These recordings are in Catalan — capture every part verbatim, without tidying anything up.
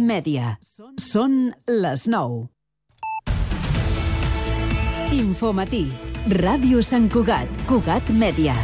Mèdia. Són les nou. Infomatí. Ràdio Sant Cugat. Cugat Mèdia.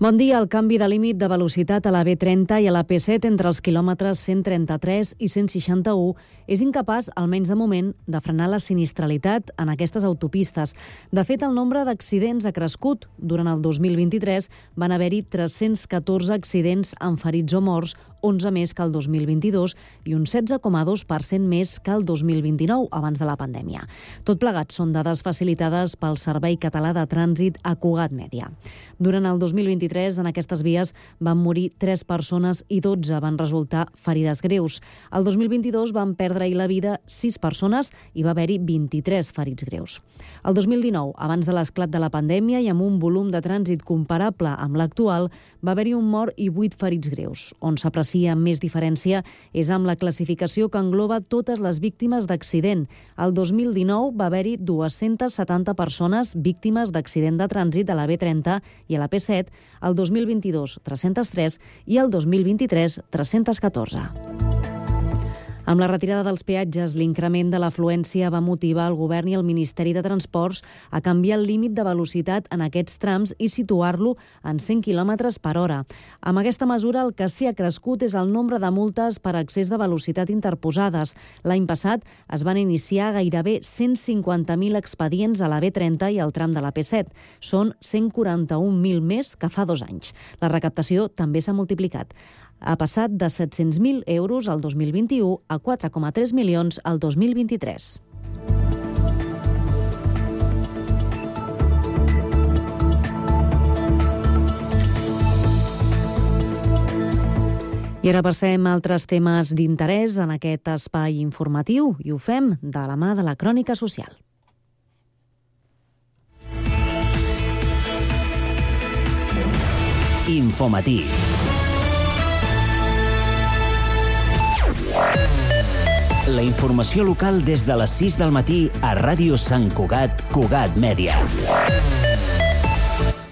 Bon dia. El canvi de límit de velocitat a la B trenta i a la P set entre els quilòmetres cent trenta-tres i cent seixanta-u és incapaç, almenys de moment, de frenar la sinistralitat en aquestes autopistes. De fet, el nombre d'accidents ha crescut. Durant el dos mil vint-i-tres van haver-hi tres-cents catorze accidents amb ferits o morts, onze més que el dos mil vint-i-dos i un setze coma dos per cent més que el dos mil vint-i-nou, abans de la pandèmia. Tot plegat són dades facilitades pel Servei Català de Trànsit a Cugat Mèdia. Durant el dos mil vint-i-tres, en aquestes vies van morir tres persones i dotze van resultar ferides greus. El dos mil vint-i-dos van perdre-hi la vida sis persones i va haver-hi vint-i-tres ferits greus. El dos mil dinou, abans de l'esclat de la pandèmia i amb un volum de trànsit comparable amb l'actual, va haver-hi un mort i vuit ferits greus. On s'aprecia amb més diferència és amb la classificació que engloba totes les víctimes d'accident. El dos mil dinou va haver-hi dues-centes setanta persones víctimes d'accident de trànsit a la B trenta i a la P set, el dos mil vint-i-dos tres-cents tres i el dos mil vint-i-tres tres-cents catorze. Amb la retirada dels peatges, l'increment de l'afluència va motivar el Govern i el Ministeri de Transports a canviar el límit de velocitat en aquests trams i situar-lo en cent quilòmetres per hora. Amb aquesta mesura, el que sí ha crescut és el nombre de multes per excés de velocitat interposades. L'any passat es van iniciar gairebé cent cinquanta mil expedients a la B trenta i al tram de la P set. Són cent quaranta-un mil més que fa dos anys. La recaptació també s'ha multiplicat. Ha passat de set-cents mil euros al dos mil vint-i-u a quatre coma tres milions al dos mil vint-i-tres. I ara passem a altres temes d'interès en aquest espai informatiu i ho fem de la mà de la Crònica Social. Infomatí. La informació local des de les sis del matí a Ràdio Sant Cugat, Cugat Mèdia.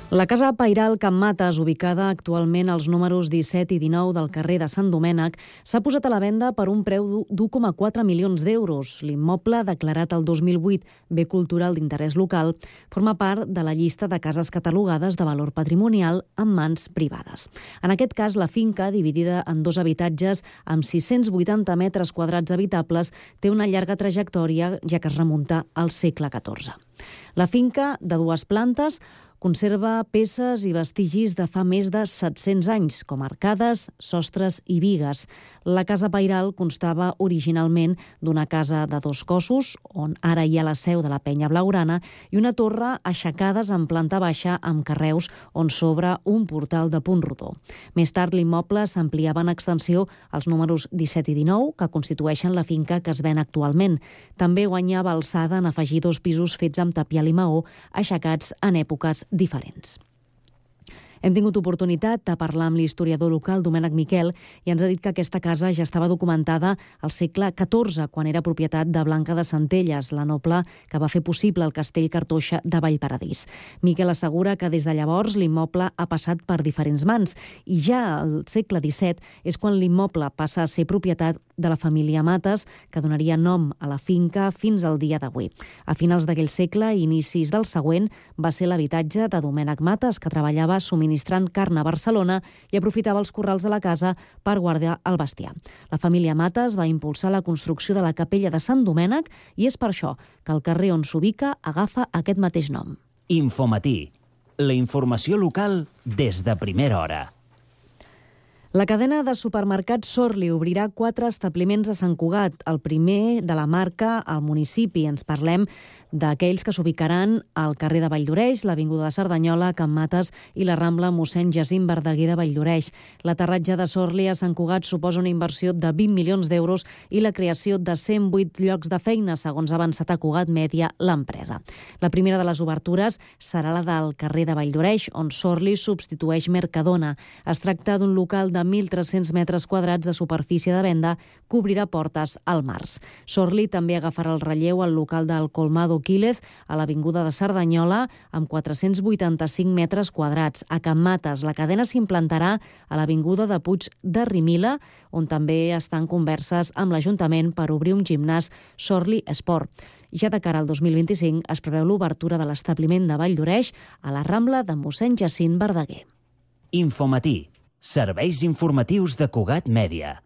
La Casa Pairal Can Mates, ubicada actualment als números disset i dinou del carrer de Sant Domènec, s'ha posat a la venda per un preu d'u coma quatre milions d'euros. L'immoble, declarat el dos mil vuit bé cultural d'interès local, forma part de la llista de cases catalogades de valor patrimonial en mans privades. En aquest cas, la finca, dividida en dos habitatges amb sis-cents vuitanta metres quadrats habitables, té una llarga trajectòria, ja que es remunta al segle catorze. La finca, de dues plantes, conserva peces i vestigis de fa més de set-cents anys, com arcades, sostres i bigues. La Casa Pairal constava originalment d'una casa de dos cossos, on ara hi ha la seu de la Penya Blaugrana, i una torre aixecades en planta baixa amb carreus on s'obre un portal de punt rodó. Més tard, l'immoble s'ampliava en extensió als números disset i dinou, que constitueixen la finca que es ven actualment. També guanyava alçada en afegir dos pisos fets amb tapial i maó, aixecats en èpoques diferents. Hem tingut oportunitat de parlar amb l'historiador local Domènec Miquel i ens ha dit que aquesta casa ja estava documentada al segle catorze, quan era propietat de Blanca de Centelles, la noble que va fer possible el castell Cartoixa de Vallparadís. Miquel assegura que des de llavors l'immoble ha passat per diferents mans i ja al segle disset és quan l'immoble passa a ser propietat de la família Mates, que donaria nom a la finca fins al dia d'avui. A finals d'aquell segle i inicis del següent va ser l'habitatge de Domènec Mates, que treballava subministrant carn a Barcelona i aprofitava els corrals de la casa per guardar el bestiar. La família Mates va impulsar la construcció de la capella de Sant Domènec i és per això que el carrer on s'ubica agafa aquest mateix nom. Infomatí. La informació local des de primera hora. La cadena de supermercats Sorli obrirà quatre establiments a Sant Cugat, el primer de la marca al municipi. Ens parlem d'aquells que s'ubicaran al carrer de Valldoreix, l'Avinguda de Cerdanyola, Can Mates i la Rambla Mossèn Jacint Verdaguer de Valldoreix. L'aterratge de Sorli a Sant Cugat suposa una inversió de vint milions d'euros i la creació de cent vuit llocs de feina, segons ha avançat a Cugat Mèdia l'empresa. La primera de les obertures serà la del carrer de Valldoreix, on Sorli substitueix Mercadona. Es tracta d'un local de de mil tres-cents metres quadrats de superfície de venda que obrirà portes al març. Sorli també agafarà el relleu al local del Colmado Quílez a l'avinguda de Cerdanyola amb quatre-cents vuitanta-cinc metres quadrats. A Can Mates, la cadena s'implantarà a l'avinguda de Puig de Rimila, on també estan converses amb l'Ajuntament per obrir un gimnàs Sorli Esport. Ja de cara al dos mil vint-i-cinc es preveu l'obertura de l'establiment de Valldoreix a la Rambla de mossèn Jacint Verdaguer. Infomatí, serveis informatius de Cugat Mèdia.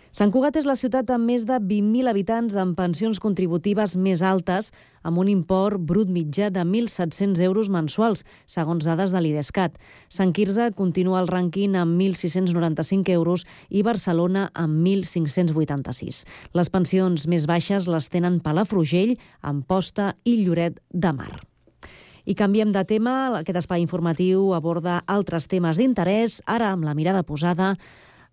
Sant Cugat és la ciutat amb més de vint mil habitants amb pensions contributives més altes, amb un import brut mitjà de mil set-cents euros mensuals, segons dades de l'Idescat. Sant Quirze continua el rànquing amb mil sis-cents noranta-cinc euros i Barcelona amb mil cinc-cents vuitanta-sis. Les pensions més baixes les tenen Palafrugell, Amposta i Lloret de Mar. I canviem de tema. Aquest espai informatiu aborda altres temes d'interès, ara amb la mirada posada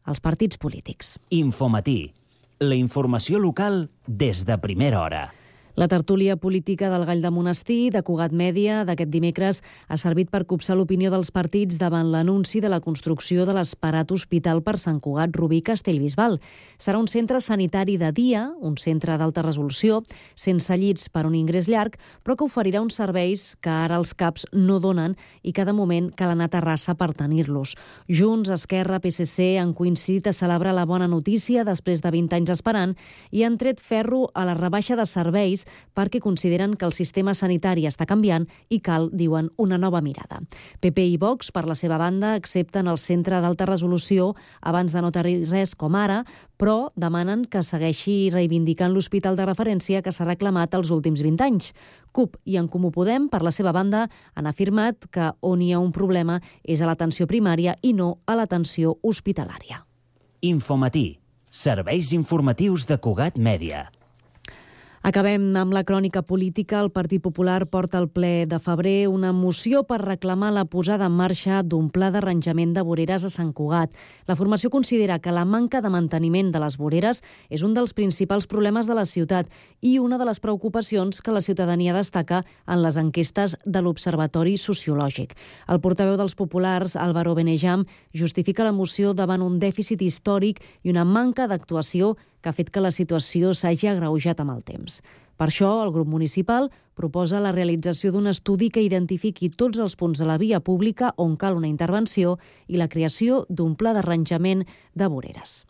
als partits polítics. Infomatí, la informació local des de primera hora. La tertúlia política del Gall de Monestir, de Cugat Mèdia, d'aquest dimecres, ha servit per copsar l'opinió dels partits davant l'anunci de la construcció de l'esperat hospital per Sant Cugat, Rubí, Castellbisbal. Serà un centre sanitari de dia, un centre d'alta resolució, sense llits per un ingrés llarg, però que oferirà uns serveis que ara els CAPs no donen i que de moment cal anar a Terrassa per tenir-los. Junts, Esquerra, P S C han coincidit a celebrar la bona notícia després de vint anys esperant i han tret ferro a la rebaixa de serveis perquè consideren que el sistema sanitari està canviant i cal, diuen, una nova mirada. P P i Vox, per la seva banda, accepten el centre d'alta resolució abans de no tenir res com ara, però demanen que segueixi reivindicant l'hospital de referència que s'ha reclamat els últims vint anys. CUP i En Comú Podem, per la seva banda, han afirmat que on hi ha un problema és a l'atenció primària i no a l'atenció hospitalària. Infomatí, serveis informatius de Cugat Mèdia. Acabem amb la crònica política. El Partit Popular porta al ple de febrer una moció per reclamar la posada en marxa d'un pla d'arranjament de voreres a Sant Cugat. La formació considera que la manca de manteniment de les voreres és un dels principals problemes de la ciutat i una de les preocupacions que la ciutadania destaca en les enquestes de l'Observatori Sociològic. El portaveu dels populars, Álvaro Benejam, justifica la moció davant un dèficit històric i una manca d'actuació que ha fet que la situació s'hagi agreujat amb el temps. Per això, el grup municipal proposa la realització d'un estudi que identifiqui tots els punts de la via pública on cal una intervenció i la creació d'un pla d'arranjament de voreres.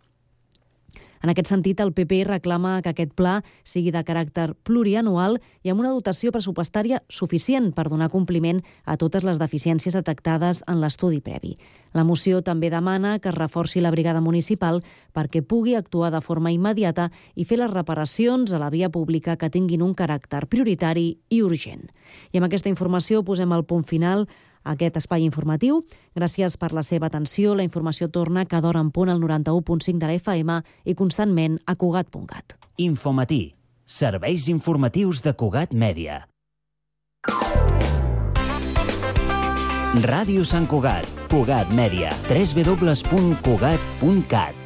En aquest sentit, el P P reclama que aquest pla sigui de caràcter plurianual i amb una dotació pressupostària suficient per donar compliment a totes les deficiències detectades en l'estudi previ. La moció també demana que es reforci la brigada municipal perquè pugui actuar de forma immediata i fer les reparacions a la via pública que tinguin un caràcter prioritari i urgent. I amb aquesta informació posem el punt final a aquest espai informatiu. Gràcies per la seva atenció. La informació torna cada hora en punt al noranta-u punt cinc de la F M i constantment a Cugat punt cat. Infomatí, serveis informatius de Cugat Mèdia. Ràdio Sant Cugat, Cugat Mèdia, w w w punt cugat punt cat.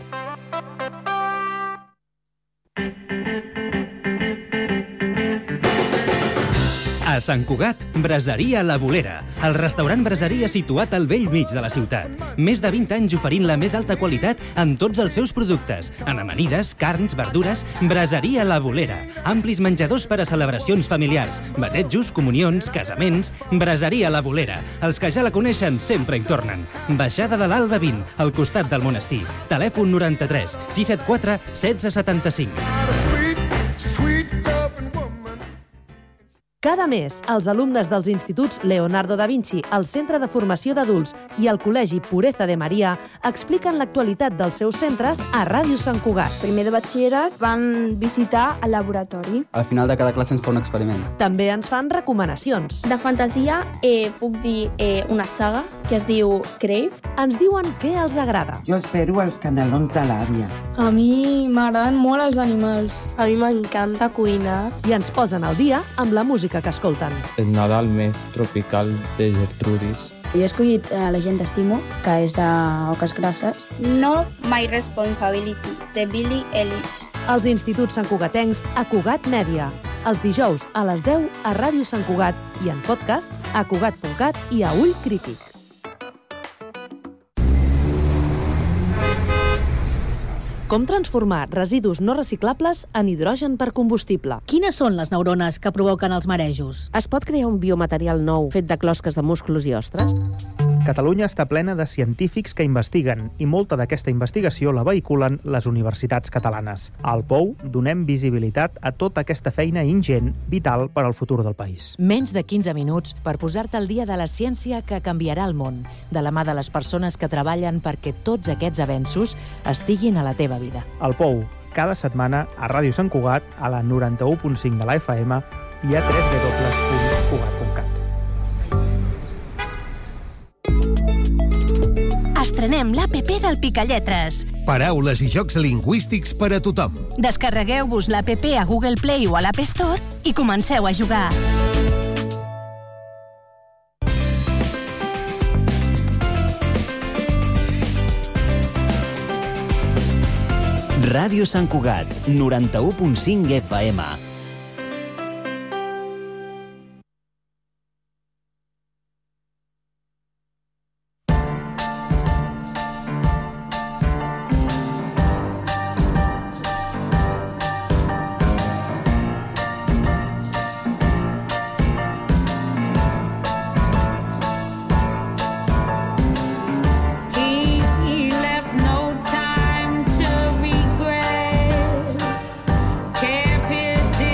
A Sant Cugat, Braseria La Bolera, el restaurant braseria situat al vell mig de la ciutat. Més de vint anys oferint la més alta qualitat en tots els seus productes, en amanides, carns, verdures. Braseria La Bolera, amplis menjadors per a celebracions familiars, batejos, comunions, casaments. Braseria La Bolera, els que ja la coneixen sempre hi tornen. Baixada de l'Alba vint, al costat del monestir. Telèfon noranta-tres sis set quatre setze setanta-cinc. Cada mes, els alumnes dels instituts Leonardo da Vinci, el Centre de Formació d'Adults i el Col·legi Pureza de Maria expliquen l'actualitat dels seus centres a Ràdio Sant Cugat. Primer de batxillerat van visitar el laboratori. Al final de cada classe ens fa un experiment. També ens fan recomanacions. De fantasia eh, puc dir eh, una saga que es diu Crave. Ens diuen què els agrada. Jo espero els canelons de l'àvia. A mi m'agraden molt els animals. A mi m'encanta cuinar. I ens posen al dia amb la música que escolten. El Nadal més tropical de Gertrudis. Jo he escollit uh, La gent d'estimo, que és d'Oques Grasses. No My Responsibility, de Billie Eilish. Els instituts santcugatencs a Cugat Mèdia. Els dijous a les deu a Ràdio Sant Cugat i en podcast a cugat punt cat i a Ull Crític. Com transformar residus no reciclables en hidrogen per combustible. Quines són les neurones que provoquen els marejos? Es pot crear un biomaterial nou fet de closques de músculs i ostres? Catalunya està plena de científics que investiguen i molta d'aquesta investigació la vehiculen les universitats catalanes. Al Pou donem visibilitat a tota aquesta feina ingent, vital per al futur del país. Menys de quinze minuts per posar-te al dia de la ciència que canviarà el món, de la mà de les persones que treballen perquè tots aquests avenços estiguin a la teva vida. Al Pou, cada setmana a Ràdio Sant Cugat, a la noranta-u punt cinc de la F M i a w w w punt cugat punt cat. Estrenem l'A P P del Picalletres. Paraules i jocs lingüístics per a tothom. Descarregueu-vos l'A P P a Google Play o a l'App Store i comenceu a jugar. Ràdio Sant Cugat, noranta-u punt cinc F M. Pissed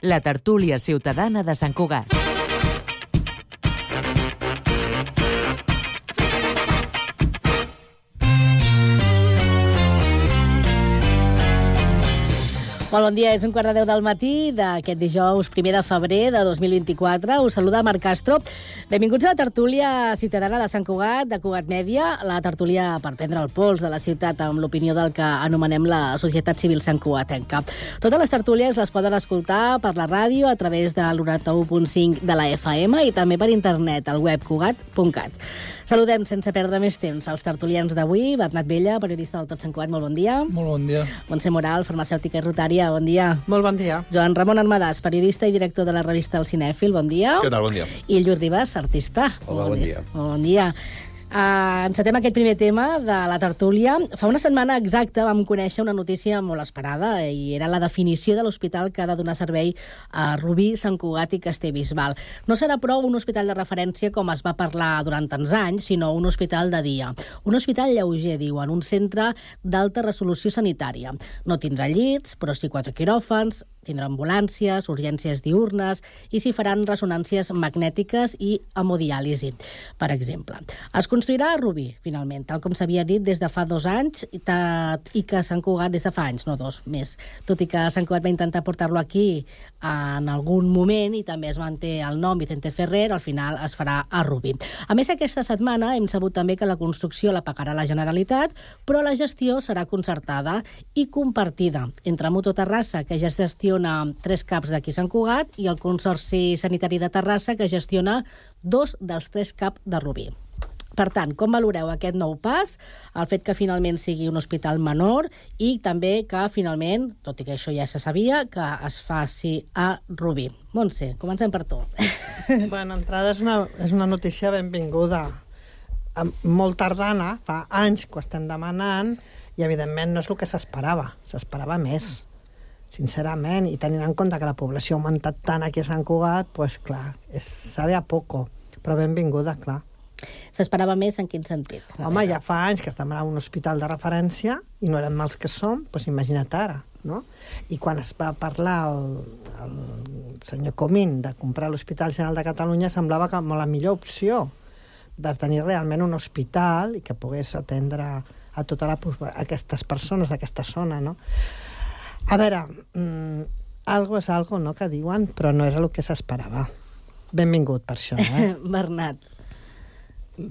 la tertúlia ciutadana de Sant Cugat. Molt bon dia, és un quart de deu del matí d'aquest dijous primer de febrer de dos mil vint-i-quatre. Us saluda Marc Castro. Benvinguts a la tertúlia ciutadana de Sant Cugat, de Cugat Mèdia, la tertúlia per prendre el pols de la ciutat amb l'opinió del que anomenem la societat civil santcugatenca. Totes les tertúlies les poden escoltar per la ràdio a través del noranta-u punt cinc de la F M i també per internet al web cugat punt cat. Saludem, sense perdre més temps, els tertulians d'avui. Bernat Vella, periodista del Tot Sant Cugat, molt bon dia. Molt bon dia. Montse Moral, farmacèutica i rotària, bon dia. Molt bon dia. Joan Ramon Armadàs, periodista i director de la revista El Cinèfil, bon dia. Què tal, bon dia. I Lluís Ribas, artista. Hola, bon, bon dia. dia. Bon dia. Uh, encetem aquest primer tema de la tertúlia. Fa una setmana exacta vam conèixer una notícia molt esperada i era la definició de l'hospital que ha de donar servei a Rubí, Sant Cugat i Castellbisbal. No serà prou un hospital de referència com es va parlar durant tants anys, sinó un hospital de dia. Un hospital lleuger, diuen, un centre d'alta resolució sanitària. No tindrà llits, però sí quatre quiròfans, tindrà ambulàncies, urgències diurnes i s'hi faran ressonàncies magnètiques i hemodiàlisi, per exemple. Es construirà a Rubí, finalment, tal com s'havia dit des de fa dos anys i que Sant Cugat des de fa anys, no dos, més. Tot i que Sant Cugat va intentar portar-lo aquí en algun moment i també es manté el nom Vicente Ferrer, al final es farà a Rubí. A més, aquesta setmana hem sabut també que la construcció la pagarà la Generalitat, però la gestió serà concertada i compartida entre Mutu Terrassa, que ja es gestiona tres caps d'aquí Sant Cugat, i el Consorci Sanitari de Terrassa, que gestiona dos dels tres caps de Rubí. Per tant, com valoreu aquest nou pas, el fet que finalment sigui un hospital menor i també que finalment, tot i que això ja se sabia, que es faci a Rubí? Montse, comencem per tu. Bueno, entrada és una, és una notícia benvinguda. Molt tardana, fa anys que ho estem demanant i evidentment no és el que s'esperava, s'esperava més. Sincerament, i tenint en compte que la població ha augmentat tant aquí a Sant Cugat, doncs clar, és, sabe a poco, però benvinguda, clar. S'esperava més en quin sentit? Home, ja fa anys que estem en un hospital de referència i no eren mals que som, doncs imagina't ara, no? I quan es va parlar el, el senyor Comín de comprar l'Hospital General de Catalunya semblava que la millor opció de tenir realment un hospital i que pogués atendre a totes aquestes persones d'aquesta zona, no? A veure, mmm, algo és algo, no?, que diuen, però no era el que s'esperava. Benvingut per això, eh? Bernat.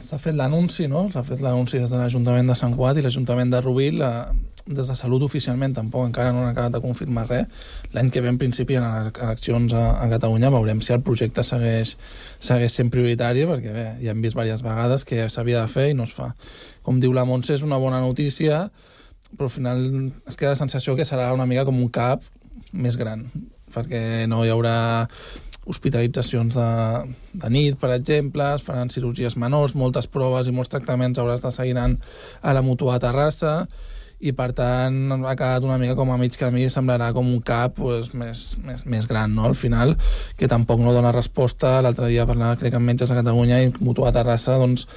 S'ha fet l'anunci, no? S'ha fet l'anunci des de l'Ajuntament de Sant Cugat i l'Ajuntament de Rubí, la... des de Salut oficialment tampoc encara no han acabat de confirmar res. L'any que ve, en principi, en les eleccions a, a Catalunya, veurem si el projecte segueix, segueix sent prioritari, perquè bé, ja hem vist diverses vegades que s'havia de fer i no es fa. Com diu la Montse, és una bona notícia, però al final es queda la sensació que serà una mica com un CAP més gran, perquè no hi haurà hospitalitzacions de, de nit, per exemple, es faran cirurgies menors, moltes proves i molts tractaments hauràs de seguir anant a la Mutu a Terrassa, i per tant ha quedat una mica com a mig camí, semblarà com un CAP pues, més, més, més gran, no? Al final, que tampoc no dona resposta. L'altre dia parlava, crec, amb metges de Catalunya i Mutu a Terrassa, doncs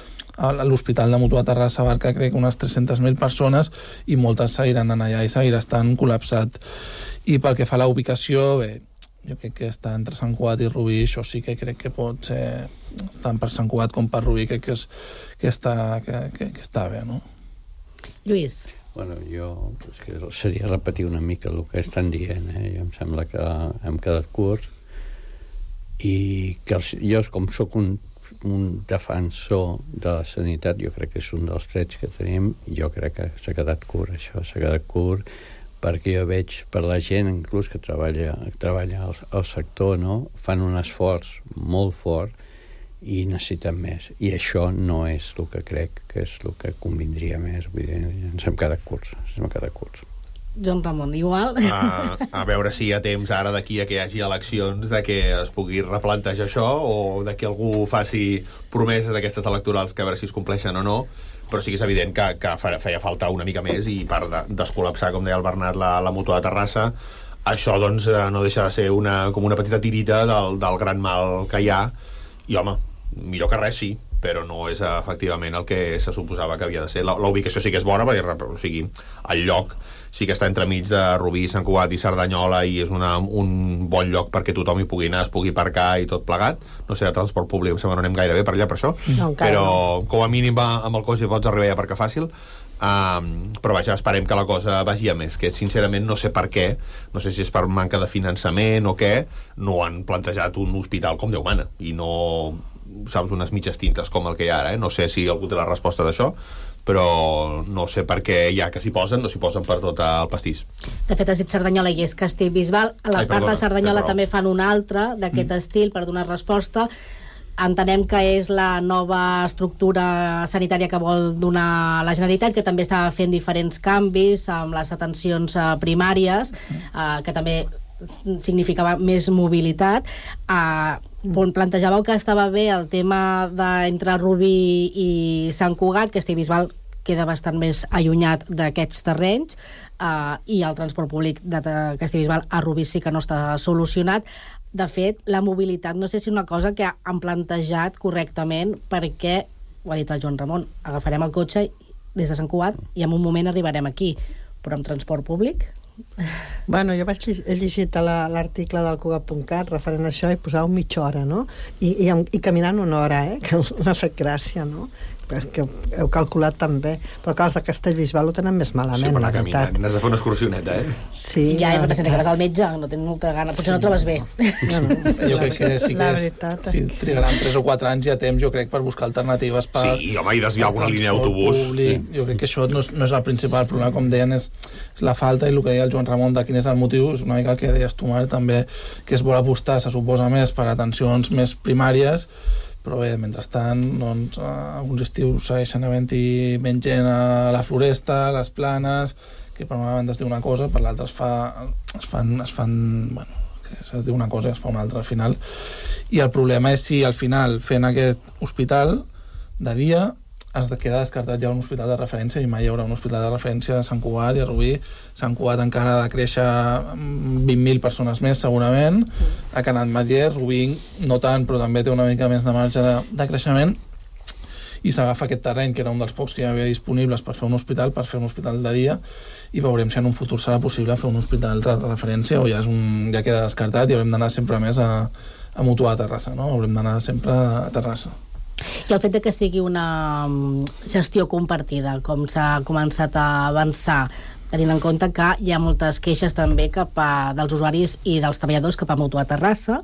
l'hospital de Mutu a Terrassa abarca, crec, unes tres-centes mil persones i moltes seguiran anant allà i seguirà estant col·lapsat. I pel que fa a la ubicació, bé, jo crec que està entre Sant Cugat i Rubí, això sí que crec que pot ser, tant per Sant Cugat com per Rubí, crec que, és, que, està, que, que, que està bé, no? Lluís. Bueno, jo és que seria repetir una mica el que estan dient, eh? Jo em sembla que hem quedat curts i que els, jo com sóc un, un defensor de la sanitat, jo crec que és un dels trets que tenim, jo crec que s'ha quedat curt això, s'ha quedat curt perquè jo veig per la gent inclús que treballa, treballa al, al sector, no? Fan un esforç molt fort i necessiten més. I això no és el que crec que és el que convindria més. Vull dir, ens hem quedat curts. Ens hem quedat curts. Joan Ramon, igual? A, a veure si hi ha temps ara d'aquí a que hi hagi eleccions de que es pugui replantejar això o de que algú faci promeses d'aquestes electorals que a veure si es compleixen o no, però sí que és evident que, que feia falta una mica més i per de, descol·lapsar, com deia el Bernat, la, la Mutu de Terrassa, això doncs no deixa de ser una, com una petita tirita del, del gran mal que hi ha i home, millor que res sí, però no és efectivament el que se suposava que havia de ser. La, la ubicació sí que és bona, perquè o sigui, el lloc sí que està entremig de Rubí, Sant Cugat i Cerdanyola i és una, un bon lloc perquè tothom hi pugui anar, es pugui aparcar i tot plegat. No sé, de transport públic em sembla no anem gaire bé per allà per això, no, però no. Com a mínim va, amb el cotxe pots arribar a aparcar fàcil. Um, però vaja, esperem que la cosa vagi a més, que sincerament no sé per què, no sé si és per manca de finançament o què, no han plantejat un hospital com Déu mana i no, saps, unes mitges tintes com el que hi ha ara, eh? No sé si algú té la resposta d'això, però no sé per què ja que s'hi posen, no s'hi posen per tot el pastís. De fet, has dit Cerdanyola i és Castellbisbal. A la Ai, part perdona, de Cerdanyola també fan una altra d'aquest mm. estil per donar resposta. Entenem que és la nova estructura sanitària que vol donar la Generalitat, que també està fent diferents canvis amb les atencions primàries, eh, que també significava més mobilitat. Eh, plantejàveu que estava bé el tema d'entre Rubí i Sant Cugat, que Castellbisbal queda bastant més allunyat d'aquests terrenys, eh, i el transport públic de Castellbisbal a Rubí sí que no està solucionat. De fet, la mobilitat no sé si és una cosa que han plantejat correctament, perquè, ho ha dit el Joan Ramon, agafarem el cotxe des de Sant Cugat i en un moment arribarem aquí, però amb transport públic? Bueno, jo vaig, he llegit l'article del Cugat punt cat referent a això i posava mitja hora, no? I, i, i caminant una hora, eh? Que m'ha fet gràcia, no? Perquè heu calculat també, però clar, els de Castellbisbal ho tenen més malament, sí, la veritat. N'has de fer una excursioneta, eh? Sí. Ja, no representa que vas al metge, no tens molta gana, potser sí. No trobes bé. No, no, jo crec que sí que és, si trigaran tres o quatre anys ja temps, jo crec, per buscar alternatives per... Sí, home, i desviar alguna línia d'autobús. Sí. Jo crec que això no és, no és el principal problema, com deien, és, és la falta, i el que deia el Joan Ramon de quin és el motiu, és una mica el que deies tu, Marc, també, que es vol apostar, se suposa, més per atencions més primàries, però bé, mentrestant, doncs, alguns estius segueixen havent-hi menys gent a la floresta, a les planes, que per una banda es diu una cosa, per l'altra es, fa, es fan, es fan, bueno, que es diu una cosa i es fa una altra al final. I el problema és si al final, fent aquest hospital de dia, has de quedar descartat ja un hospital de referència, i mai hi haurà un hospital de referència a Sant Cugat i a Rubí. Sant Cugat encara ha de créixer vint mil persones més, segurament. Ha quedat Matller, Rubí no tant, però també té una mica més de marge de, de creixement. I s'agafa aquest terreny, que era un dels pocs que hi havia disponibles per fer un hospital, per fer un hospital de dia, i veurem si en un futur serà possible fer un hospital de referència o ja, és un, ja queda descartat i haurem d'anar sempre més a, a mutuar a Terrassa, no? Haurem d'anar sempre a Terrassa. I el fet de que sigui una gestió compartida, com s'ha començat a avançar, tenint en compte que hi ha moltes queixes també cap a, dels usuaris i dels treballadors cap a Mutua Terrassa,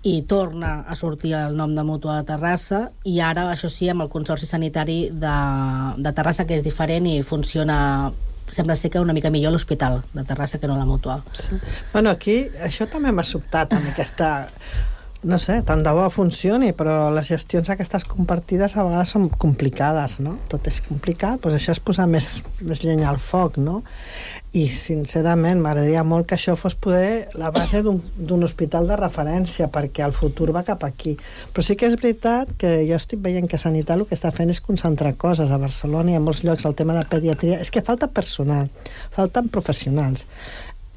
i torna a sortir el nom de Mutua Terrassa, i ara, això sí, amb el Consorci Sanitari de, de Terrassa, que és diferent i funciona, sembla ser que una mica millor l'hospital de Terrassa que no la Mutua. Sí. Bueno, aquí això també m'ha sobtat, amb aquesta... No sé, tant de bo funcioni, però les gestions aquestes compartides a vegades són complicades, no? Tot és complicat, doncs això és posar més, més llenya al foc, no? I, sincerament, m'agradaria molt que això fos poder la base d'un hospital de referència, perquè el futur va cap aquí. Però sí que és veritat que jo estic veient que Sanitat el que està fent és concentrar coses a Barcelona i a molts llocs, el tema de pediatria. És que falta personal, falten professionals.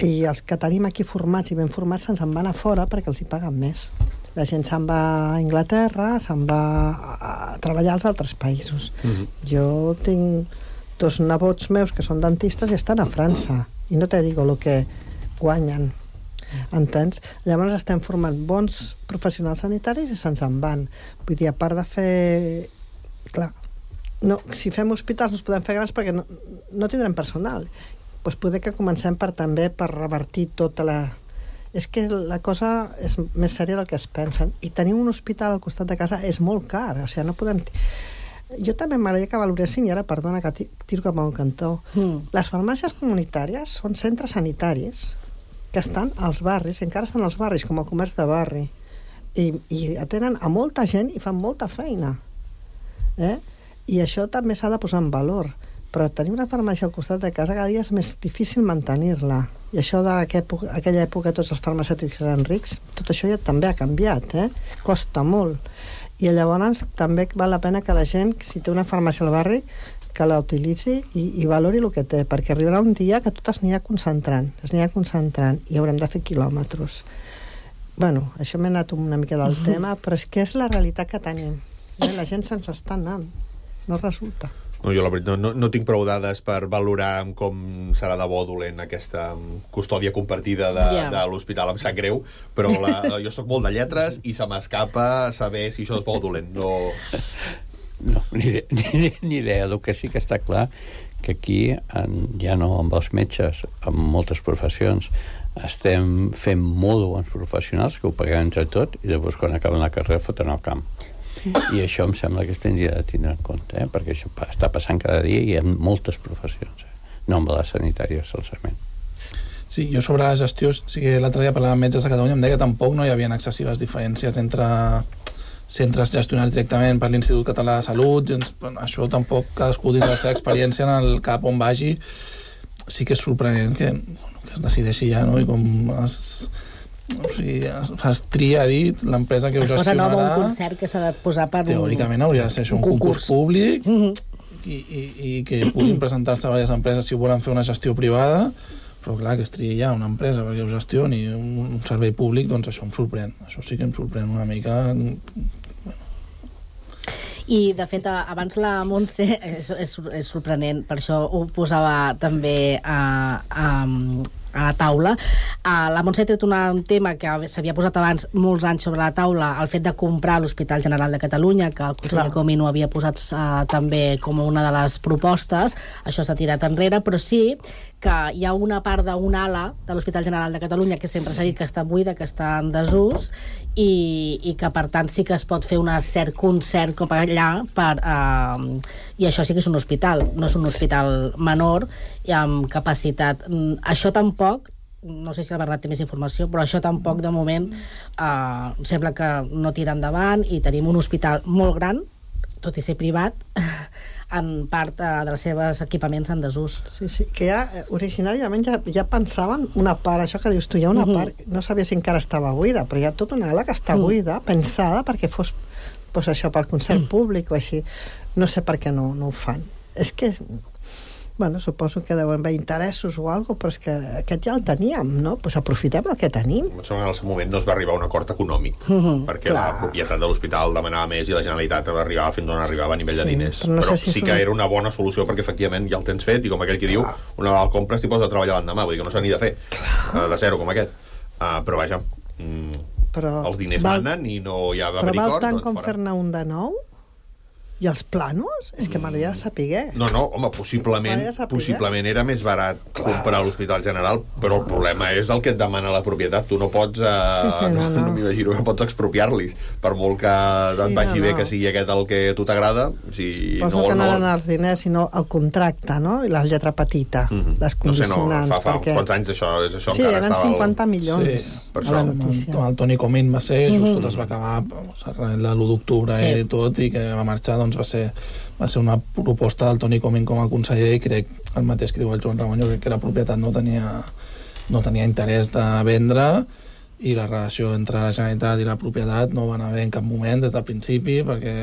I els que tenim aquí formats i ben formats se'ns en van a fora perquè els hi paguen més. La gent se'n va a Anglaterra, se'n va a treballar als altres països. Mm-hmm. Jo tinc dos nebots meus que són dentistes i estan a França, i no te digo el que guanyen. Entens? Llavors estem formant bons professionals sanitaris i se'ns en van. Vull dir, a part de fer... Clar, no, si fem hospitals no es podem fer grans perquè no, no tindrem personal. Doncs poder que comencem per també per revertir tota la... És que la cosa és més sèria del que es pensen. I tenir un hospital al costat de casa és molt car. O sigui, no podem... Jo també m'agradaria que valoressin, i ara, perdona, que tiro cap a un cantó. Mm. Les farmàcies comunitàries són centres sanitaris que estan als barris, encara estan als barris, com a comerç de barri. I, i atenen a molta gent i fan molta feina. Eh? I això també s'ha de posar en valor. Però tenir una farmàcia al costat de casa cada dia és més difícil mantenir-la. I això d'aquella època tots els farmacèutics eren rics, tot això ja també ha canviat, eh? Costa molt. I llavors també val la pena que la gent, si té una farmàcia al barri, que la utilitzi i, i valori el que té, perquè arribarà un dia que tot es anirà concentrant, es anirà concentrant i haurem de fer quilòmetres. Bueno, això m'he anat una mica del tema, però és que és la realitat que tenim. Eh? La gent se'ns està anant, no resulta. No, jo la veritat no, no tinc prou dades per valorar com serà de bo dolent aquesta custòdia compartida de, yeah. de l'hospital. Em sap greu, però la, jo sóc molt de lletres i se m'escapa saber si això és bo dolent. No, no ni, ni, ni idea. El que sí que està clar que aquí, en, ja no amb els metges, amb moltes professions, estem fent molt bons professionals que ho paguem entre tot i després quan acaben la carrera foten al camp. I això em sembla que es tindria de tindre en compte, eh? Perquè això està passant cada dia i en moltes professions, eh? No amb la sanitària solament. Sí, jo sobre la gestió, sí que l'altre dia parlant amb metges de Catalunya em deia que tampoc no hi havia excessives diferències entre centres gestionats directament per l'Institut Català de Salut. Bueno, això tampoc cadascú dins de la seva experiència en el cap on vagi. Sí que és sorprenent que, que es decideixi ja, no? I com es... O sigui, es, es tria, ha dit, l'empresa que ho gestionarà... Es posa nom un concert que s'ha de posar per... Teòricament hauria de ser això un concurs, concurs públic mm-hmm. i, i, i que puguin presentar-se a diverses empreses si volen fer una gestió privada, però clar, que es tria ja una empresa perquè ho gestioni un, un servei públic, doncs això em sorprèn. Això sí que em sorprèn una mica... I, de fet, abans la Montse, és, és, és sorprenent, per això ho posava també a, a, a la taula. Uh, la Montse ha tret un tema que s'havia posat abans molts anys sobre la taula, el fet de comprar l'Hospital General de Catalunya, que el conseller Comín ho havia posat uh, també com una de les propostes. Això s'ha tirat enrere, però sí que hi ha una part d'una ala de l'Hospital General de Catalunya que sempre s'ha dit que està buida, que està en desús, i, i que per tant sí que es pot fer un cert concert com allà per, uh, i això sí que és un hospital, no és un hospital menor i amb capacitat. Això tampoc, no sé si la veritat té més informació, però això tampoc de moment uh, sembla que no tira endavant i tenim un hospital molt gran, tot i ser privat, en part uh, dels seus equipaments en desús. Sí, sí, que ja originàriament ja, ja pensaven una part, això que dius tu, hi ha una uh-huh. part, no sabia si encara estava buida, però hi ha tota una ala que està buida, uh-huh. pensada perquè fos pues, això per concert uh-huh. públic o així. No sé per què no, no ho fan. És que bueno, suposo que deuen haver interessos o alguna cosa, però és que aquest ja el teníem, no? Pues aprofitem el que tenim. En el seu moment no es va arribar a un acord econòmic, uh-huh, perquè clar. La propietat de l'hospital demanava més i la Generalitat arribava fins on arribava a nivell sí, de diners. Però, no però si sí que una... era una bona solució perquè efectivament ja el tens fet i com aquell que clar. Diu, una vegada el compres t'hi poses a treballar l'endemà, vull dir que no s'ha ni de fer uh, de zero com aquest. Uh, però vaja, mm, però els diners val... manen i no hi ha però val tant doncs, com fer-ne un de nou? I els planos? És que m'agradaria saber. No, no, home, possiblement, possiblement era més barat clar. Comprar l'Hospital General, però el problema és el que et demana la propietat. Tu no pots, eh, sí, sí, no, no. no m'imagino que pots expropiar-los, per molt que sí, et vagi no, bé no. que sigui aquest el que a tu t'agrada. Si Poso no, que no no eren els diners, sinó el contracte, no? I la lletra petita, mm-hmm. les condicionants. No sé, no, fa, fa perquè... quants anys això, és això sí, encara eren estava... cinquanta milions sí, per a la notícia. El, el Toni Comín va ser, just mm-hmm. tot es va acabar l'u d'octubre sí. i tot, i que va marxar, doncs va ser va ser una proposta del Toni Comín com a conseller i crec el mateix que diu el Joan Ramon, jo crec que la propietat no tenia, no tenia interès de vendre i la relació entre la Generalitat i la propietat no van haver en cap moment des del principi perquè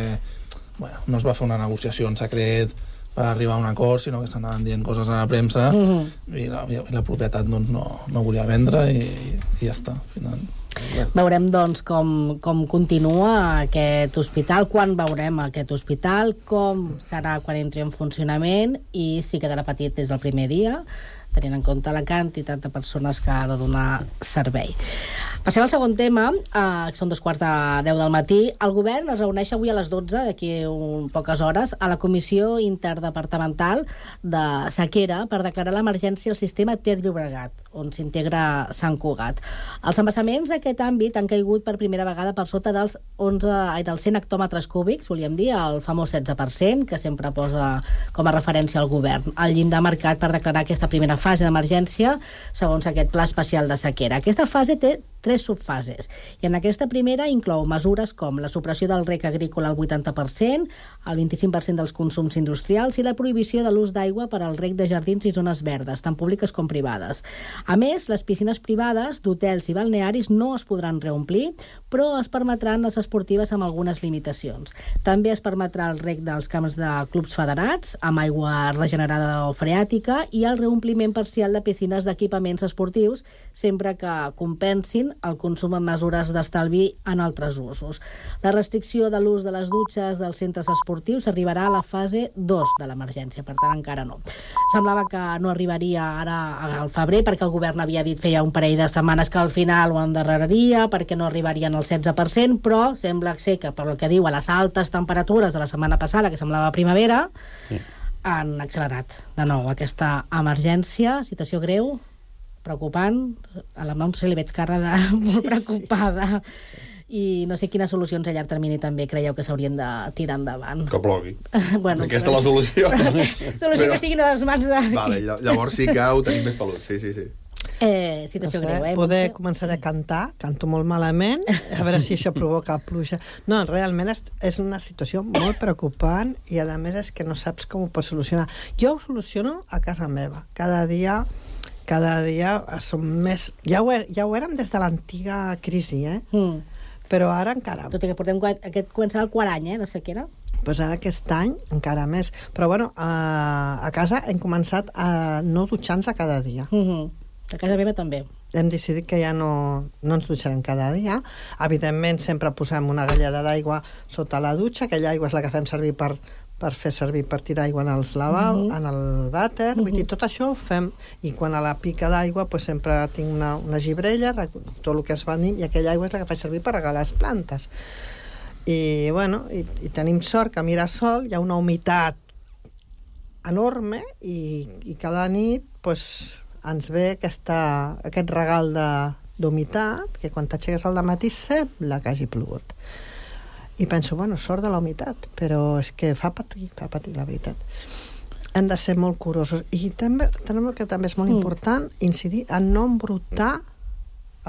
bueno, no es va fer una negociació en secret per arribar a un acord, sinó que s'anaven dient coses a la premsa mm-hmm. i, la, i la propietat doncs, no, no volia vendre i, i ja està, al final. Bueno. Veurem, doncs, com, com continua aquest hospital, quan veurem aquest hospital, com serà quan entri en funcionament i si quedarà petit des del primer dia, tenint en compte la quantitat de persones que ha de donar servei. Passem al segon tema, eh, que són dos quarts de deu del matí. El govern es reuneix avui a les dotze, d'aquí un poques hores, a la Comissió Interdepartamental de Sequera per declarar l'emergència al sistema Ter-Llobregat, on s'integra Sant Cugat. Els embassaments d'aquest àmbit han caigut per primera vegada per sota dels, onze, ai, dels cent hectòmetres cúbics, volíem dir, el famós setze per cent, que sempre posa com a referència al govern. El llindar marcat per declarar aquesta primera fase d'emergència segons aquest pla especial de sequera. Aquesta fase té tres subfases i en aquesta primera inclou mesures com la supressió del rec agrícola al vuitanta per cent, el vint-i-cinc per cent dels consums industrials i la prohibició de l'ús d'aigua per al rec de jardins i zones verdes, tant públiques com privades. A més, les piscines privades d'hotels i balnearis no es podran reomplir, però es permetran les esportives amb algunes limitacions. També es permetrà el rec dels camps de clubs federats amb aigua regenerada o freàtica i el reompliment parcial de piscines d'equipaments esportius sempre que compensin sovint el consum amb mesures d'estalvi en altres usos. La restricció de l'ús de les dutxes dels centres esportius arribarà a la fase dos de l'emergència, per tant encara no. Semblava que no arribaria ara al febrer perquè el govern havia dit feia un parell de setmanes que al final ho endarreraria perquè no arribarien al setze per cent, però sembla ser que, per el que diu, a les altes temperatures de la setmana passada, que semblava primavera, sí, han accelerat de nou aquesta emergència, situació greu, preocupant. A la Montse li veig cara de molt sí, preocupada. Sí. I no sé quines solucions a llarg termini també creieu que s'haurien de tirar endavant. Que plogui. Bueno, aquesta és la solució. Solució però... que estiguin a les mans de... Vale, llavors sí que ho tenim més pelut, sí, sí, sí. Eh, situació no sé, greu, eh? Poder Montse? Començar a cantar, canto molt malament, a veure si això provoca pluja. No, realment és, és una situació molt preocupant i a més és que no saps com ho pots solucionar. Jo ho soluciono a casa meva. Cada dia, cada dia som més... Ja ho, ja ho érem des de l'antiga crisi, eh? Mm. Però ara encara... Tot i que portem... Aquest començarà el quart any, eh, de sequera. Pues ara aquest any encara més. Però bueno, a, a casa hem començat a no dutxar-nos a cada dia. Mm-hmm. A casa meva també. Hem decidit que ja no, no ens dutxarem cada dia. Evidentment, sempre posem una galleda d'aigua sota la dutxa. Aquella aigua és la que fem servir per, per fer servir per tirar aigua en els lavabos, uh-huh. en el vàter. Uh-huh. Vull dir, tot això ho fem. I quan a la pica d'aigua pues, sempre tinc una, una gibrella, tot el que es va dir, i aquella aigua és la que faig servir per regar les plantes. I, bueno, i, i tenim sort que a Mirasol hi ha una humitat enorme i, i cada nit pues, ens ve aquesta, aquest regal d'humitat que quan t'aixeques al dematí sembla que hagi plogut. I penso, bueno, sort de la humitat, però és que fa patir, fa patir, la veritat. Hem de ser molt curosos. I també, també, que també és molt mm. important incidir en no embrutar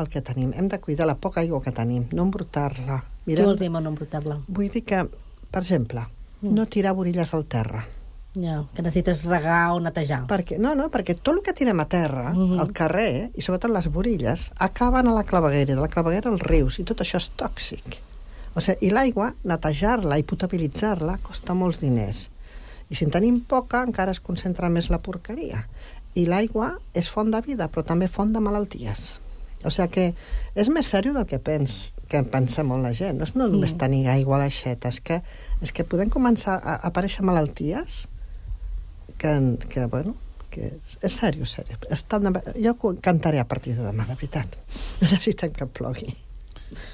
el que tenim. Hem de cuidar la poca aigua que tenim, no embrutar-la. Què vols dir, no embrutar-la? Vull dir que, per exemple, mm. no tirar borilles al terra. Ja, que necessites regar o netejar. Perquè, no, no, perquè tot el que tirem a terra, mm-hmm. al carrer, i sobretot les borilles, acaben a la claveguera, de la claveguera als rius, i tot això és tòxic. O sigui, i l'aigua, netejar-la i potabilitzar-la costa molts diners. I si en tenim poca, encara es concentra més la porqueria. I l'aigua és font de vida, però també font de malalties. O sigui que és més sèrio del que pens, que pensa molt la gent. No és no només mm. tenir aigua a l'aixeta, és que, és que podem començar a aparèixer malalties que, que bueno, que és, és sèrio, sèrio. Estan de... Jo cantaré a partir de demà, la veritat. Necessitem que plogui.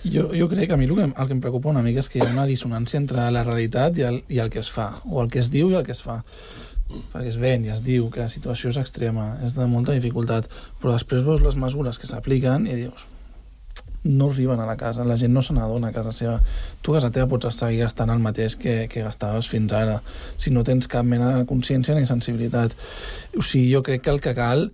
Jo, jo crec que a mi el que, el que em preocupa una mica és que hi ha una dissonància entre la realitat i el, i el que es fa, o el que es diu i el que es fa. Perquè es ven i es diu que la situació és extrema, és de molta dificultat, però després veus les mesures que s'apliquen i dius, no arriben a la casa, la gent no se n'adona a casa seva. Tu a casa teva pots seguir gastant el mateix que, que gastaves fins ara, si no tens cap mena de consciència ni sensibilitat. O sigui, jo crec que el que cal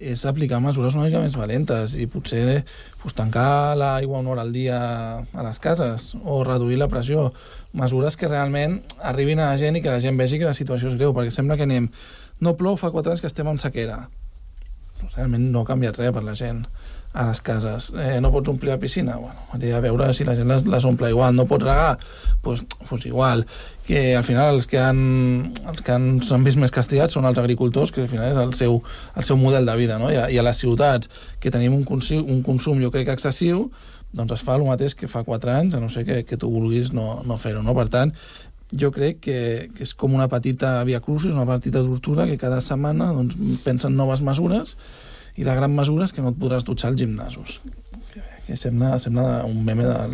és aplicar mesures una mica més valentes i potser pues, tancar l'aigua una hora al dia a les cases o reduir la pressió. Mesures que realment arribin a la gent i que la gent vegi que la situació és greu, perquè sembla que anem... No plou, fa quatre anys que estem en sequera. Realment no ha canviat res per la gent a les cases. Eh, no pots omplir la piscina? Bueno, hauria de veure si la gent les, les omple igual. No pots regar? Doncs pues, pues igual. Que al final els que han els que han, s'han vist més castigats són els agricultors, que al final és el seu, el seu model de vida, no? I a, i a les ciutats, que tenim un consum, un consum jo crec excessiu, doncs es fa el mateix que fa quatre anys, a no ser que, que tu vulguis no, no fer-ho, no? Per tant, jo crec que, que és com una petita via crucis, una petita tortura, que cada setmana doncs, pensen noves mesures, i la gran mesura és que no et podràs dutxar als gimnasos, que, que sembla, sembla un meme del,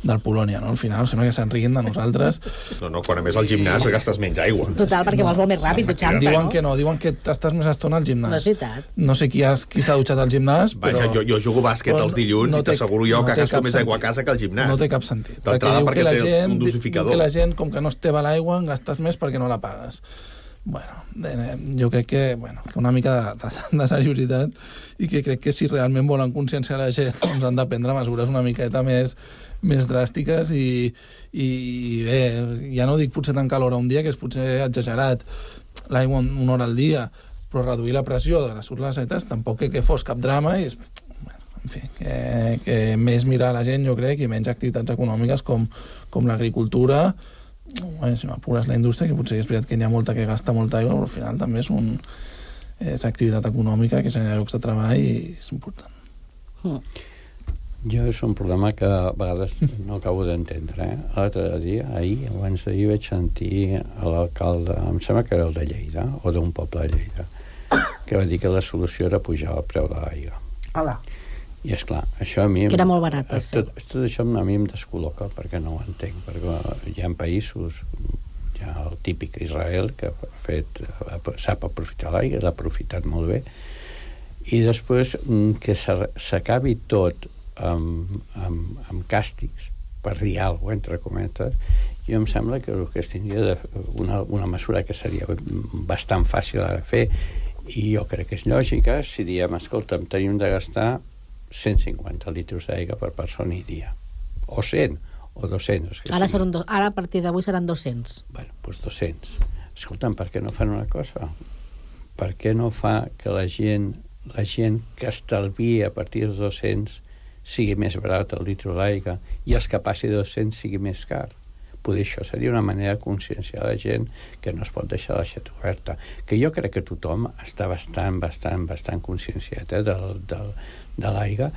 del Polònia, no? Al final sembla que se'n riguin de nosaltres. No, no, quan a més al gimnàs gastes menys aigua. Total, perquè vols molt més ràpid dutxant-te, diuen no? que no, diuen que estàs més estona al gimnàs. No és veritat. No sé qui, has, qui s'ha dutxat al gimnàs, però... Vaja, jo, jo jugo bàsquet els dilluns no i t'asseguro jo no que gasto més aigua a casa que al gimnàs. No té cap sentit. D'entrada perquè, perquè té gent, un dosificador. Que la gent, com que no es té a l'aigua, en gastes més perquè no la pagues. Bueno, jo crec que, bueno, que una mica de, de, de seriositat i que crec que si realment volen conscienciar la gent doncs han de prendre mesures una miqueta més, més dràstiques i, i bé, ja no dic potser tancar l'hora un dia, que és potser exagerat, l'aigua una hora al dia, però reduir la pressió de les urlacetes tampoc que, que fos cap drama i és, bueno, en fi, que, que més mirar a la gent jo crec i menys activitats econòmiques com, com l'agricultura. Bueno, si m'apures la indústria, que potser és veritat que n'hi ha molta que gasta molta aigua, però al final també és, un, és activitat econòmica que genera llocs de treball i és important. Mm. Jo és un problema que a vegades no acabo d'entendre. Eh? L'altre dia, ahir, abans d'ahir, vaig sentir a l'alcalde, em sembla que era el de Lleida, o d'un poble de Lleida, que va dir que la solució era pujar el preu de l'aigua. Hola. I és clar, això a mi... Que era molt barat, sí. Tot, tot això a mi em descol·loca, perquè no ho entenc, perquè hi ha països, hi ha el típic Israel, que ha fet, sap aprofitar l'aigua, l'ha aprofitat molt bé, i després que s'acabi tot amb, amb, amb càstigs per dir alguna cosa, entre cometes, jo em sembla que el que es tindria de, una, una mesura que seria bastant fàcil de fer, i jo crec que és lògica si diem, escolta'm, tenim de gastar cent cinquanta litres d'aigua per persona i dia, o cent, o dos-cents. Ara, sí. do, ara a partir d'avui seran dos-cents. Bueno, doncs dos-cents. Escolta'm, per què no fan una cosa? Per què no fa que la gent, la gent que estalvia a partir dels dos-cents sigui més barat el litre d'aigua i els que passi dos-cents sigui més car? Potser això seria una manera de conscienciar la gent que no es pot deixar l'aixeta oberta. Que jo crec que tothom està bastant, bastant, bastant conscienciat eh, del, del, de l'aigua,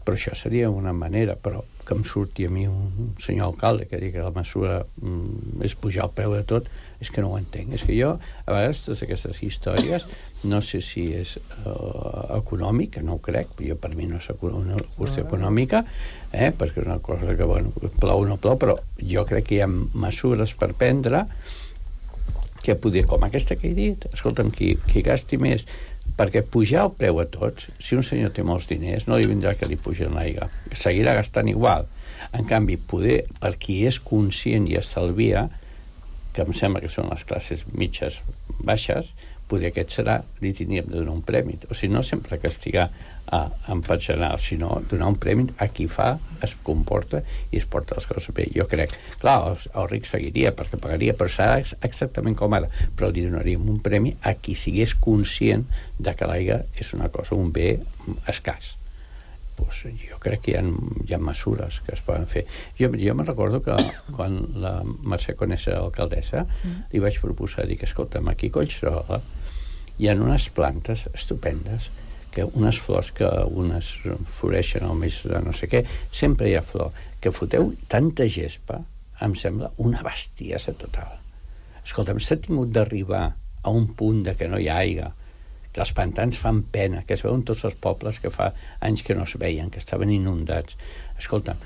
però això seria una manera, però que em surti a mi un senyor alcalde que digui que la mesura mm, és pujar el preu de tot, és que no ho entenc. És que jo, a vegades, totes aquestes històries, no sé si és uh, econòmic, no ho crec, jo per mi no és una qüestió econòmica, eh, perquè és una cosa que, bueno, plou o no plou, però jo crec que hi ha mesures per prendre que poder, com aquesta que he dit, escolta'm, qui, qui gasti més, perquè pujar el preu a tots, si un senyor té molts diners, no li vindrà que li pugen l'aigua, seguirà gastant igual. En canvi, poder, per qui és conscient i estalvia, que em sembla que són les classes mitges baixes, poder aquest serà, li tindríem de donar un premi. O sigui, no sempre castigar a, en part general, sinó donar un premi a qui fa, es comporta i es porta les coses bé. Jo crec, clar, el, el ric seguiria perquè pagaria, però serà exactament com ara, però li donaríem un premi a qui sigués conscient de que l'aigua és una cosa, un bé escàs. Pues jo crec que hi ha, hi ha mesures que es poden fer. Jo, jo me'n recordo que quan la Mercè Conés era alcaldessa, mm. li vaig proposar dir que, escolta'm, aquí a Collserola hi ha unes plantes estupendes, que unes flors que unes floreixen al mes de no sé què, sempre hi ha flor, que foteu tanta gespa, em sembla una bestiesa total. Escolta'm, s'ha tingut d'arribar a un punt de que no hi ha aigua, que els pantans fan pena, que es veuen tots els pobles que fa anys que no es veien, que estaven inundats. Escolta'm,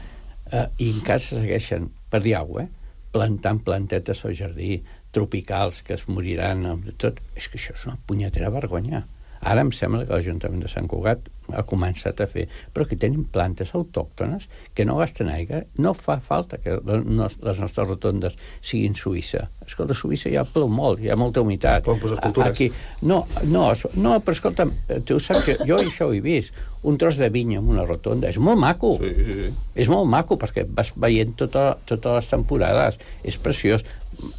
eh, i encara se segueixen, per dir alguna cosa, eh, plantant plantetes al jardí, tropicals que es moriran, tot. És que això és una punyetera vergonya. Ara em sembla que l'Ajuntament de Sant Cugat ha començat a fer, però que tenim plantes autòctones que no gasten aigua. No fa falta que les nostres rotondes siguin Suïssa. Escolta, a Suïssa ja plou molt, hi ha molta humitat. Poden posar escultures. Aquí, no, no, no, però escolta'm, tu saps que jo això ho he vist, un tros de vinya en una rotonda, és molt maco. Sí, sí, sí. És molt maco, perquè vas veient tota, totes les temporades, és preciós.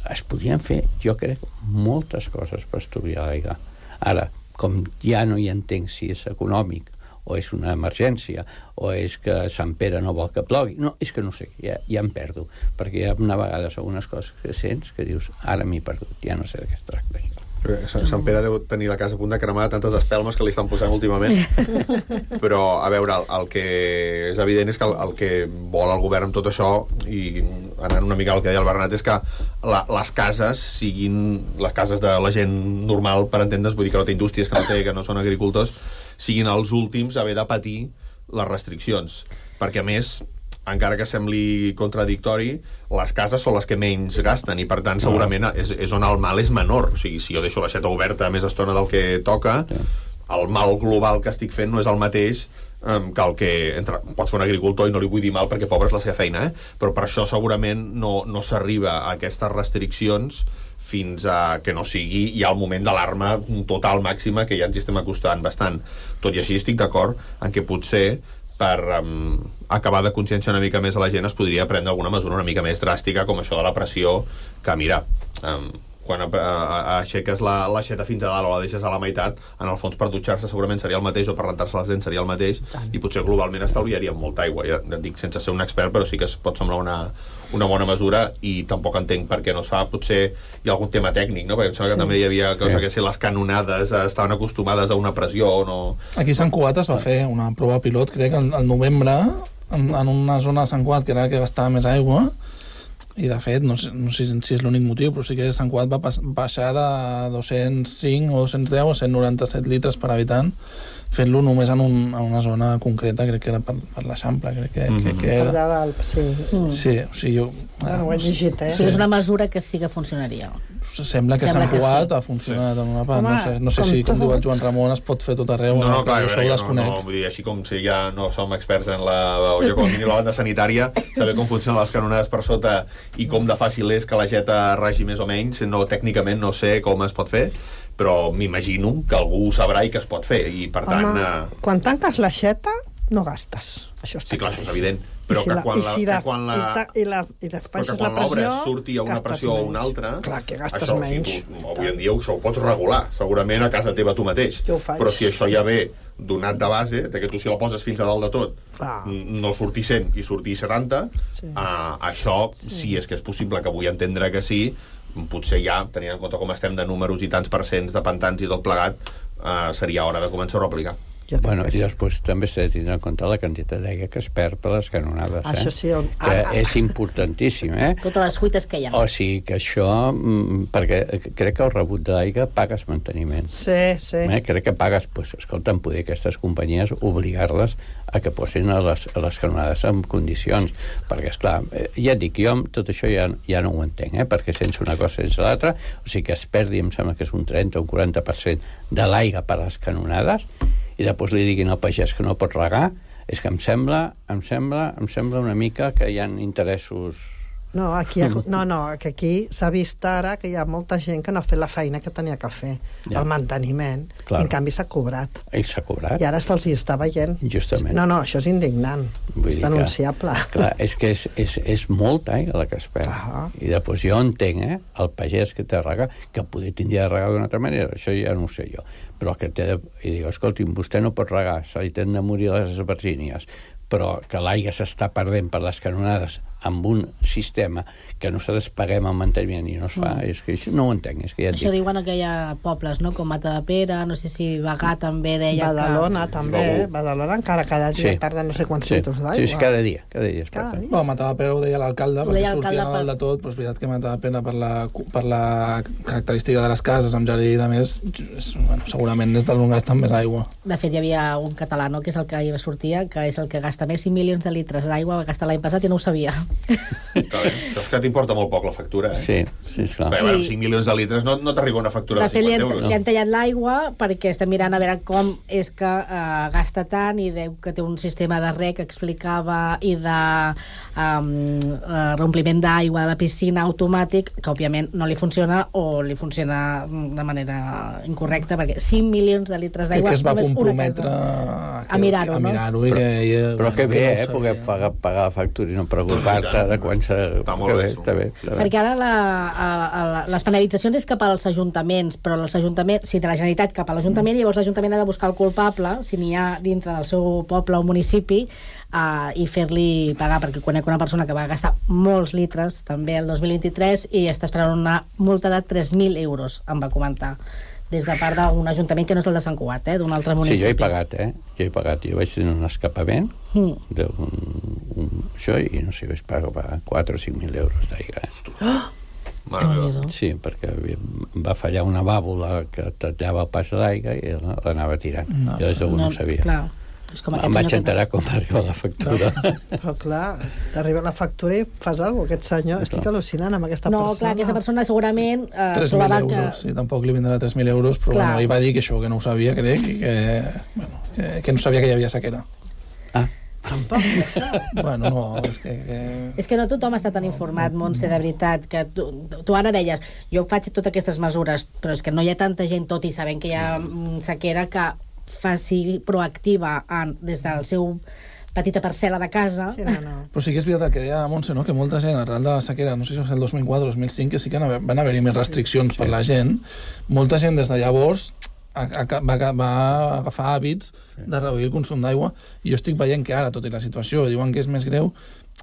Es podrien fer, jo crec, moltes coses per estudiar l'aigua. Ara, com ja no hi entenc si és econòmic o és una emergència o és que Sant Pere no vol que plogui, no, és que no sé, ja, ja em perdo, perquè hi ha una vegades algunes coses que sents que dius, ara m'he perdut, ja no sé de què es tracta això. Sant Pere deu tenir la casa a punt de cremar tantes espelmes que li estan posant últimament. Però, a veure, el, el que és evident és que el, el que vol el govern amb tot això, i anant una mica al que deia el Bernat, és que la, les cases siguin les cases de la gent normal, per entendre's, vull dir que no té indústries, que no té, que no són agricultors, siguin els últims a haver de patir les restriccions. Perquè, a més, encara que sembli contradictori, les cases són les que menys gasten i, per tant, segurament és, és on el mal és menor. O sigui, si jo deixo l'aixeta oberta més estona del que toca, el mal global que estic fent no és el mateix um, que el que entre, pot fer un agricultor, i no li vull dir mal perquè pobre és la seva feina, eh? Però per això segurament no, no s'arriba a aquestes restriccions fins a que no sigui ja el moment d'alarma total màxima, que ja ens estem acostant bastant. Tot i així estic d'acord en que potser per um, acabar de conscienciar una mica més a la gent es podria prendre alguna mesura una mica més dràstica, com això de la pressió, que mira, um, quan a, a, a aixeques la, l'aixeta fins a dalt o la deixes a la meitat, en el fons per dutxar-se segurament seria el mateix, o per rentar-se les dents seria el mateix, i potser globalment estalviaríem molta aigua. Ja et dic sense ser un expert, però sí que es pot semblar una, una bona mesura, i tampoc entenc per què no es fa. Potser hi ha algun tema tècnic, no? Perquè em sembla que sí. també hi havia cosa sí. que si les canonades estaven acostumades a una pressió o no... Aquí a Sant Cugat es va fer una prova pilot, crec, al novembre, en, en una zona de Sant Cugat que era la que gastava més aigua, i de fet, no sé, no sé si és l'únic motiu, però sí que Sant Cugat va baixar de dos-cents cinc o dos-cents deu a cent noranta-set litres per habitant, fent-lo només en, un, en una zona concreta, crec que era per, per l'Eixample, crec que, mm-hmm. que, que era. Per dalt, sí. Mm. Sí, o sigui, jo... Ah, no ho he llegit, eh? Sí, és una mesura que sí que funcionaria. Sembla que Sant Cugat sí. ha funcionat en una part. Home, no sé, no sé si, com diu el Joan Ramon, es pot fer tot arreu. No, no, clar, jo no, no, no, vull dir, així com si ja no som experts en la... Jo com a mínim la banda sanitària, saber com funcionen les canonades per sota i com de fàcil és que la geta ragi més o menys, no, tècnicament no sé com es pot fer, però m'imagino que algú ho sabrà i que es pot fer, i per tant... Home, eh... quan tanques l'aixeta, no gastes. Això està sí, clar, això és evident. Però si que, quan la, si la, que quan la... I, ta, i la, i la faixes la pressió... surti a una pressió o una altra... Clar, que gastes això, menys. Si tu, avui en dia això ho pots regular, segurament a casa teva tu mateix. Però si això ja ve donat de base, de que tu si la poses fins a dalt de tot, clar. no surti cent i surti setanta, sí. uh, això, sí. si és que és possible, que vull entendre que sí, potser ja, tenint en compte com estem de números i tants percents de pantans i tot plegat, uh, seria hora de començar-ho a aplicar. Bueno, i després també s'ha de tindre en compte la quantitat d'aigua que es perd per les canonades, eh? Això sí, on... que ah, és importantíssim, eh? Totes les fuites que hi ha. O sigui que això, perquè crec que el rebut de l'aigua pagues manteniment. Sí, sí. Eh? Crec que pagues, pues, escolta, en poder aquestes companyies obligar-les a que posin a les, a les canonades en condicions, perquè, esclar, ja et dic, jo tot això ja, ja no ho entenc, eh? Perquè sense una cosa sense l'altra, o sigui que es perdi, em sembla que és un trenta o un quaranta per cent de l'aigua per a les canonades, i després li diguin al pagès que no pot regar, és que em sembla, em sembla, em sembla una mica que hi ha interessos... No, aquí ha, no, no, que aquí s'ha vist ara que hi ha molta gent que no ha fet la feina que tenia que fer, ja. El manteniment, claro. I en canvi s'ha cobrat. I s'ha cobrat. I ara se'ls hi està veient. Justament. No, no, això és indignant, Vull és denunciable. Que, clar, és que és, és, és molta aigua la que es perd. Ah. I després jo entenc, eh, el pagès que té de regar, que poder tindria de regar d'una altra manera, això ja no ho sé jo, però que té de... I diu, escolti'm, vostè no pot regar, se li tenen de morir les esbargínies, però que l'aigua s'està perdent per les canonades amb un sistema que nosaltres paguem el manteniment i no es fa, mm. és que això no ho entenc. És que ja això dic. Diuen que hi ha pobles, no?, com Matadepera, no sé si Bagà també deia Badalona, que... també, Badalona encara cada dia sí. perden no sé quants sí. litres d'aigua. Sí, sí, cada dia, cada dia es perden. Bueno, Matadepera ho deia l'alcalde, perquè sortien a dalt de tot, però és veritat que Matadepera per la, per la característica de les cases amb jardí i de més, és, bueno, segurament és dels on gasten més aigua. De fet, hi havia un català, no?, que és el que hi sortia, que és el que gasta més cinc milions de litres d'aigua, va gastar l'any passat i no ho sabia. Clar, això és que t'importa molt poc la factura, eh? Sí, sí, esclar. Bé, bueno, cinc milions de litres no, no t'arriba una factura de, de cinquanta euros. De fet, li han tallat l'aigua perquè estem mirant a veure com és que uh, gasta tant i deu que té un sistema de rec que explicava i de um, uh, reompliment d'aigua de la piscina automàtic, que òbviament no li funciona o li funciona de manera incorrecta, perquè cinc milions de litres d'aigua... Que es va comprometre a, a mirar-ho, no? no? Però, i, però que bé, eh, poder pagar, pagar la factura i no preocupar-te de quan s'ha... Està molt bé, està bé, està bé. Perquè ara la, a, a, les penalitzacions és cap als ajuntaments, però els ajuntaments, si de la Generalitat cap a l'Ajuntament, llavors l'Ajuntament ha de buscar el culpable, si n'hi ha dintre del seu poble o municipi, uh, i fer-li pagar, perquè conec una persona que va gastar molts litres també el dos mil vint-i-tres i està esperant una multa de tres mil euros, em va comentar, des de part d'un ajuntament que no és el de Sant Cugat, eh, d'un altre municipi. Sí, jo he pagat, eh? Jo he pagat. Jo vaig tenir un escapament mm. d'un, un, això, i no sé, vaig pagar quatre o cinc mil euros d'aigua. Eh? Oh! Sí, perquè va fallar una vàlvula que tallava el pas d'aigua i l'anava tirant. No, jo des d'algú no, no ho sabia. Clar. Com em vaig enterar com va arribar la factura. No, però clar, t'arriba la factura i fas alguna cosa. Aquest senyor, no, estic al·lucinant amb aquesta no, persona. No, clar, aquesta persona segurament... Eh, tres mil euros, que... sí, tampoc li vindrà tres mil euros, però bueno, ell va dir que això, que no ho sabia, crec, i que, bueno, que, que no sabia que hi havia sequera. Ah. Tampoc, això. Bueno, no, és que... que... És que no tothom està tan informat, Montse, de veritat, que tu, tu ara deies, jo faig totes aquestes mesures, però és que no hi ha tanta gent, tot i sabent que hi ha sequera, que faci proactiva en, des del seu petita parcel·la de casa. Sí, no, no. Però sí que és veritat que deia Montse, no?, que molta gent arran de la sequera, no sé si va ser el dos mil quatre o dos mil cinc, que sí que van haver-hi més restriccions sí, per sí. la gent. Molta gent des de llavors a, a, va, va agafar hàbits sí. de reduir el consum d'aigua, i jo estic veient que ara, tot i la situació, diuen que és més greu,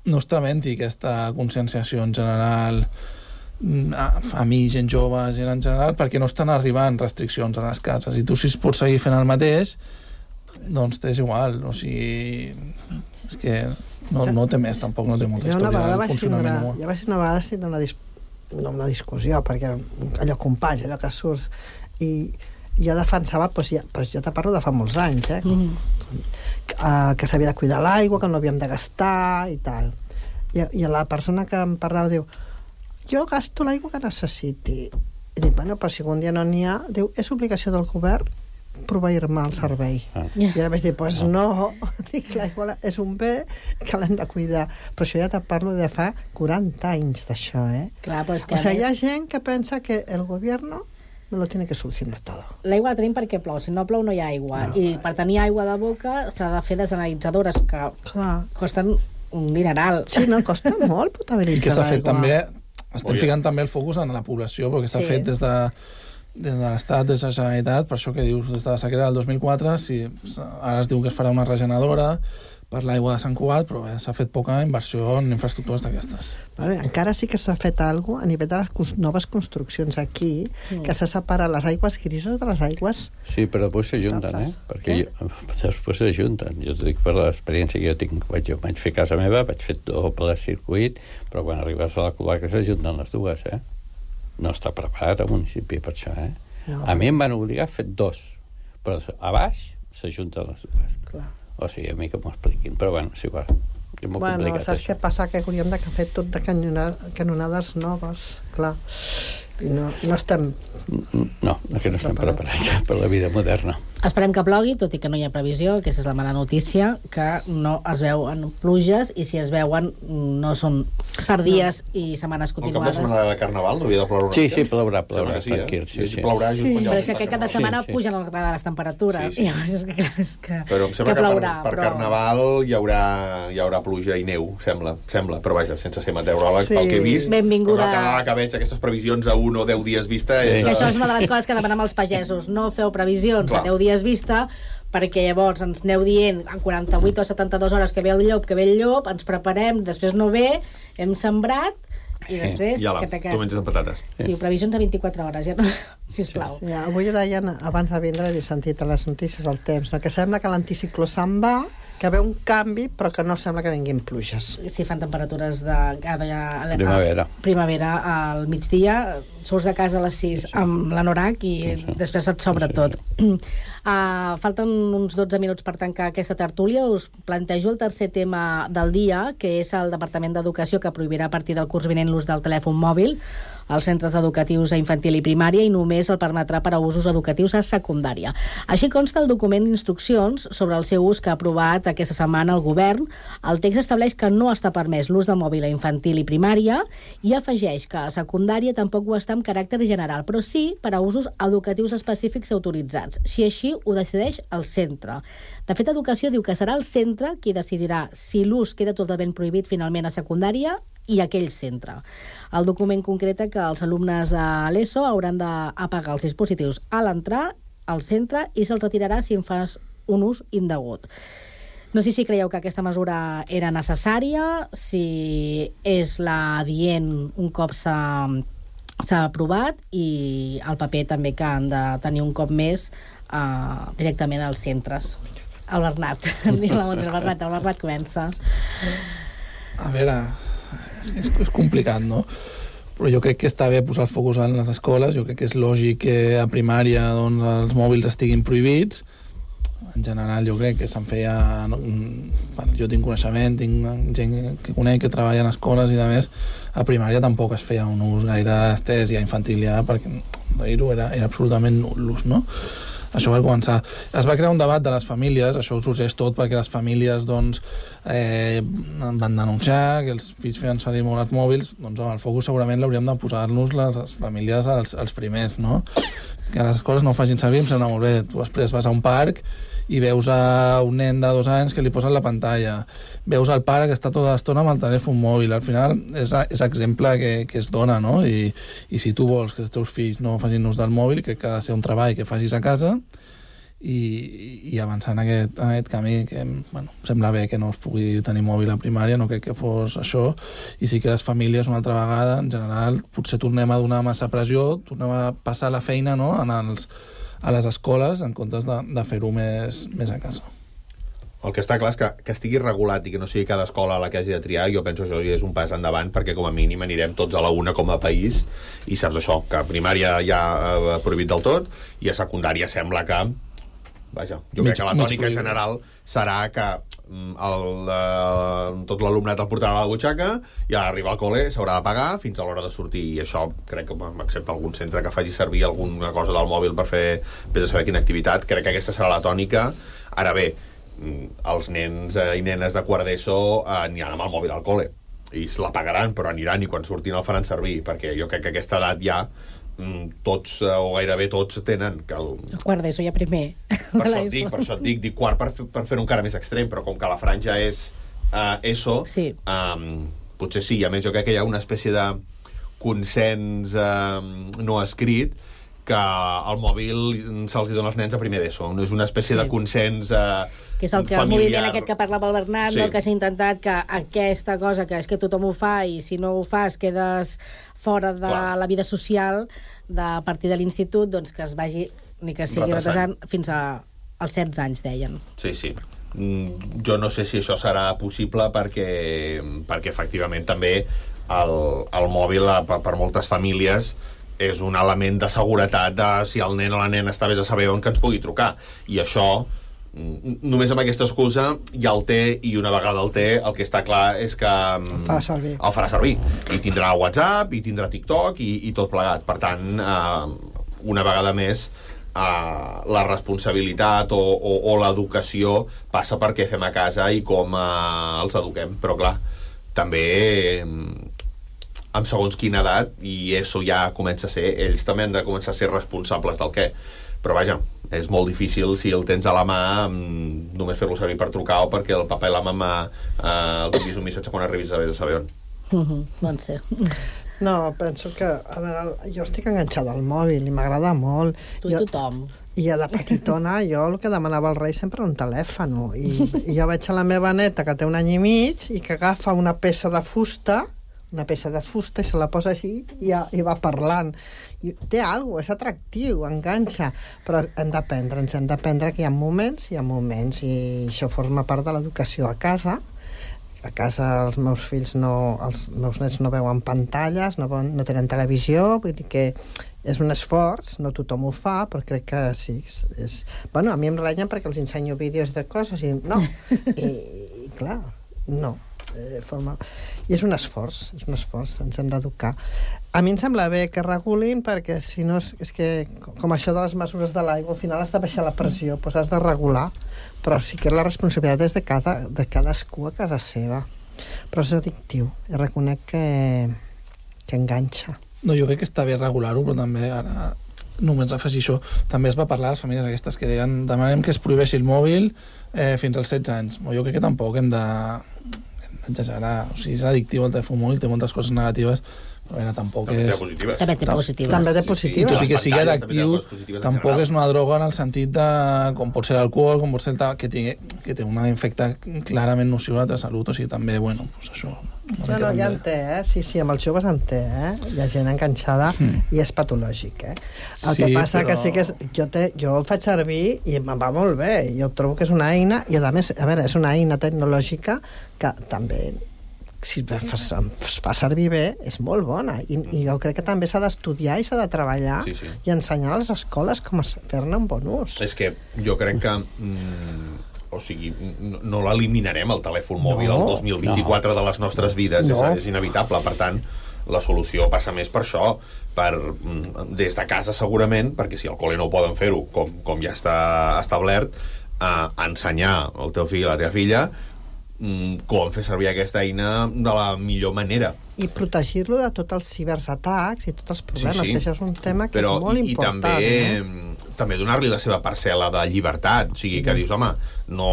no està havent-hi aquesta conscienciació en general a, a mi, gent jove, gent en general, perquè no estan arribant restriccions a les cases, i tu si pots seguir fent el mateix doncs t'és igual, o sigui és que No, no té més, tampoc no té molta jo història del del funcionament una, humà. ja vaig ser una vegada sí, una, dis, no, una discussió, perquè allò companys, allò que surts, i jo defensava, doncs ja, però jo te parlo de fa molts anys, eh? Mm. Que, que s'havia de cuidar l'aigua, que no havíem de gastar i tal. I, i la persona que em parlava diu, jo gasto l'aigua que necessiti. I dic, bueno, però si un dia no n'hi ha, diu, és obligació del govern proveir-me el servei. Ah. I ara vaig dir, doncs pues no, dic, l'aigua és un bé que l'hem de cuidar. Però això ja te parlo de fa quaranta anys d'això, eh? Clar, però és que o sigui, hi ha gent que pensa que el govern me lo tiene que solucionar todo. L'aigua la tenim perquè plou, si no plou no hi ha aigua. No. I per tenir aigua de boca s'ha de fer desanalitzadores que Clar. costen un dineral. Sí, no, costa molt potabilitzar l'aigua. I que s'ha fet també, estem Oye. ficant també el focus en la població, perquè està sí. fet des de des de l'Estat, des de la Generalitat, per això que dius, des de la sequera del dos mil quatre, si ara es diu que es farà una regeneradora per l'aigua de Sant Cugat, però bé, s'ha fet poca inversió en infraestructures d'aquestes. Vale, encara sí que s'ha fet alguna cosa a nivell de les noves construccions aquí, mm. que s'ha separat les aigües grises de les aigües... Sí, però després s'ajunten, eh? Perquè jo, després s'ajunten. Jo t'ho dic per l'experiència que jo tinc. Vaig, jo vaig fer casa meva, vaig fer doble circuit, però quan arribes a la cloaca s'ajunten les dues, eh? No està preparat el municipi per això, eh? No. A mi em van obligar a fer dos, però a baix s'ajunten les dues. Clar. O sigui, a mi que m'ho expliquin, però bueno, és igual. És molt bueno, complicat, saps això. què passa? Que hauríem de fer tot de canonades noves, clar. I no, no estem... No, que no estem preparats per la vida moderna. Esperem que plogui, tot i que no hi ha previsió, aquesta és la mala notícia, que no es veuen pluges, i si es veuen no són per dies no. i setmanes continuades. El cap de setmana de Carnaval no havia de ploure una Sí, mica? sí, plourà, plourà, sí, tranquil. Eh? Sí, sí. Plourà sí, just però és que aquest cap de setmana sí, sí. pugen les temperatures. Sí, sí. I llavors és que, clar, és que, però em sembla que que, plourà, per, per però... Carnaval hi haurà, hi haurà pluja i neu, sembla, sembla. Però vaja, sense ser meteoròleg, sí. pel que he vist, benvinguda... com el canal que veig aquestes previsions a un o deu dies vista... Sí. És... Que això és una de les coses que demanem als pagesos. No feu previsions clar. a deu dies vista, perquè llavors ens aneu dient en quaranta-vuit o setanta-dues hores que ve el llop, que ve el llop, ens preparem, després no ve, hem sembrat, i després... I ala, tu menges amb patates. Diu, previsions de vint-i-quatre hores, ja no... Sisplau. Sí, avui deien, abans de vindre, he sentit a les notícies el temps, no? Que sembla que l'anticicló se'n va, que ve un canvi, però que no sembla que vinguin pluges. Si fan temperatures de... de, de primavera. A, primavera al migdia, surts de casa a les sis sí. amb l'anorac i sí, sí. després et sobra sí, sí. tot. Uh, falten uns dotze minuts per tancar aquesta tertúlia. Us plantejo el tercer tema del dia, que és el Departament d'Educació, que prohibirà a partir del curs vinent l'ús del telèfon mòbil als centres educatius a infantil i primària i només el permetrà per a usos educatius a secundària. Així consta el document d'instruccions sobre el seu ús que ha aprovat aquesta setmana el govern. El text estableix que no està permès l'ús de mòbil a infantil i primària i afegeix que a secundària tampoc ho està amb caràcter general, però sí per a usos educatius específics autoritzats, si així ho decideix el centre. De fet, Educació diu que serà el centre qui decidirà si l'ús queda totalment prohibit finalment a secundària i aquell centre. El document concreta que els alumnes de l'ESO hauran d'apagar els dispositius a l'entrar al centre i se'ls retirarà si en fas un ús indegut. No sé si creieu que aquesta mesura era necessària, si és la adient un cop s'ha s'ha aprovat, i el paper també que han de tenir un cop més eh, directament als centres. El Bernat, diu la Montse, el Bernat, el Bernat comença. A veure, és, és complicat, no? Però jo crec que està bé posar el focus en les escoles, jo crec que és lògic que a primària doncs, els mòbils estiguin prohibits. En general jo crec que se'n feia... Bueno, jo tinc coneixement, tinc gent que conec que treballa en escoles i de més, a primària tampoc es feia un ús gaire estès i a infantil ja, perquè era, era absolutament nul l'ús, no? Això va començar. Es va crear un debat de les famílies, això ho sorgeix tot perquè les famílies doncs, eh, van denunciar que els fills feien servir molt els mòbils, doncs home, el focus segurament l'hauríem de posar-nos les famílies als, als primers, no? Que les escoles no ho facin servir, em sembla molt bé. Tu després vas a un parc i veus a un nen de dos anys que li posen la pantalla, veus al pare que està tota l'estona amb el telèfon mòbil. Al final és, és exemple que, que es dona, no? I, i si tu vols que els teus fills no facin ús del mòbil, crec que ha de ser un treball que facis a casa i, i avançar en aquest, en aquest camí que, bueno, sembla bé que no es pugui tenir mòbil a primària, no crec que fos això, i sí que les famílies una altra vegada, en general, potser tornem a donar massa pressió, tornem a passar la feina, no?, en els, a les escoles en comptes de, de fer-ho més, més a casa. el que està clar és que, que estigui regulat i que no sigui cada escola a la que hagi de triar, jo penso que això és un pas endavant, perquè com a mínim anirem tots a la una com a país, i saps això, que a primària ja eh, prohibit del tot, i a secundària sembla que vaja, jo mig, crec que la tònica general serà que el, eh, tot l'alumnat el portarà a la butxaca i a arribar al col·le s'haurà de pagar fins a l'hora de sortir, i això crec que excepte algun centre que faci servir alguna cosa del mòbil per fer, vés a saber quina activitat, crec que aquesta serà la tònica. Ara bé, els nens i nenes de quart d'ESO eh, aniran amb el mòbil al col·le i se la pagaran, però aniran i quan surtin el faran servir, perquè jo crec que a aquesta edat ja tots, o gairebé tots, tenen que el... el quart d'ESO ja primer. Per això et dic, per això et dic, dic quart per, per fer-ho encara més extrem, però com que la franja és uh, ESO, sí. um, potser sí, a més jo crec que hi ha una espècie de consens uh, no escrit que el mòbil se'ls dona als nens a primer d'ESO, és una espècie sí. de consens uh, que és el que familiar. El moviment aquest que parlava el Bernat, sí. no? Que s'ha intentat que aquesta cosa que és que tothom ho fa i si no ho fas quedes fora de Clar. La vida social de, a partir de l'institut, doncs que es vagi ni que sigui retrasant fins a, als setze anys, deien. Sí, sí. Mm, jo no sé si això serà possible perquè, perquè efectivament també el, el mòbil per, per moltes famílies és un element de seguretat de si el nen o la nena està vés a saber on que ens pugui trucar, i això només amb aquesta excusa ja el té, i una vegada el té el que està clar és que el farà servir, el farà servir. I tindrà WhatsApp i tindrà TikTok i, i tot plegat, per tant eh, una vegada més eh, la responsabilitat o, o, o l'educació passa per què fem a casa i com eh, els eduquem, però clar també eh, amb segons quina edat, i això ja comença a ser, ells també han de començar a ser responsables del què. Però vaja, és molt difícil si el tens a la mà només fer-lo servir per trucar o perquè el papa i la mama eh, el tinguis un missatge quan arribis a vés a saber on. Uh -huh, bon ser. No, penso que, a veure, jo estic enganxada al mòbil i m'agrada molt. Tu i tothom. I de petitona jo el que demanava al rei sempre un telèfon, i, i jo veig a la meva neta que té un any i mig i que agafa una peça de fusta una peça de fusta i se la posa així i, ja, i va parlant. I té alguna cosa, és atractiu, enganxa, però hem d'aprendre, ens hem d'aprendre que hi ha moments i hi ha moments, i això forma part de l'educació a casa. A casa els meus fills no, els meus nets no veuen pantalles, no, no tenen televisió, vull dir que és un esforç, no tothom ho fa, però crec que sí. És, és... Bueno, a mi em renyen perquè els ensenyo vídeos de coses i no. I, i clar, no. Eh, forma... I és un esforç, és un esforç, ens hem d'educar. A mi em sembla bé que regulin, perquè si no és, és que, com això de les mesures de l'aigua, al final has de baixar la pressió, doncs has de regular, però sí que la responsabilitat és de, cada, de cadascú a casa seva. Però és addictiu, i reconec que, que enganxa. No, jo crec que està bé regular-ho, però també ara només afegir això. També es va parlar a les famílies aquestes que deien demanem que es prohibeixi el mòbil eh, fins als setze anys. Jo crec que tampoc hem de exagerar, o sigui, és addictiu el telèfon mòbil, té moltes coses negatives, però era, tampoc també és... té positives. També té positives. També té positives. I tot i que sigui addictiu, tampoc és una droga en el sentit de com pot ser l'alcohol, com pot ser el tabac, que, tingui, que té un efecte clarament nociu a la salut, o sigui, també, bueno, doncs això... No, no, ja en té, eh? Sí, sí, amb els joves en té, eh? Hi ha gent enganxada mm. i és patològic, eh? El sí, que passa però... que sí que és... Jo, te, jo el faig servir i em va molt bé. Jo trobo que és una eina, i a més, a veure, és una eina tecnològica que també, si es fa servir bé, és molt bona. I, i jo crec que també s'ha d'estudiar i s'ha de treballar sí, sí. i ensenyar a les escoles com fer-ne un bon ús. És que jo crec que... Mm, o sigui, no, no l'eliminarem el telèfon mòbil no, el dos mil vint-i-quatre no. de les nostres vides, no. és, és inevitable. Per tant, la solució passa més per això, per, des de casa segurament, perquè si al col·le no poden fer-ho, com, com ja està establert, a ensenyar al teu fill i a la teva filla com fer servir aquesta eina de la millor manera. I protegir-lo de tots els ciberatacs i tots els problemes, sí, sí. que això és un tema que Però, és molt i, important. I també, eh? també donar-li la seva parcel·la de llibertat, o sigui, que dius, home, no,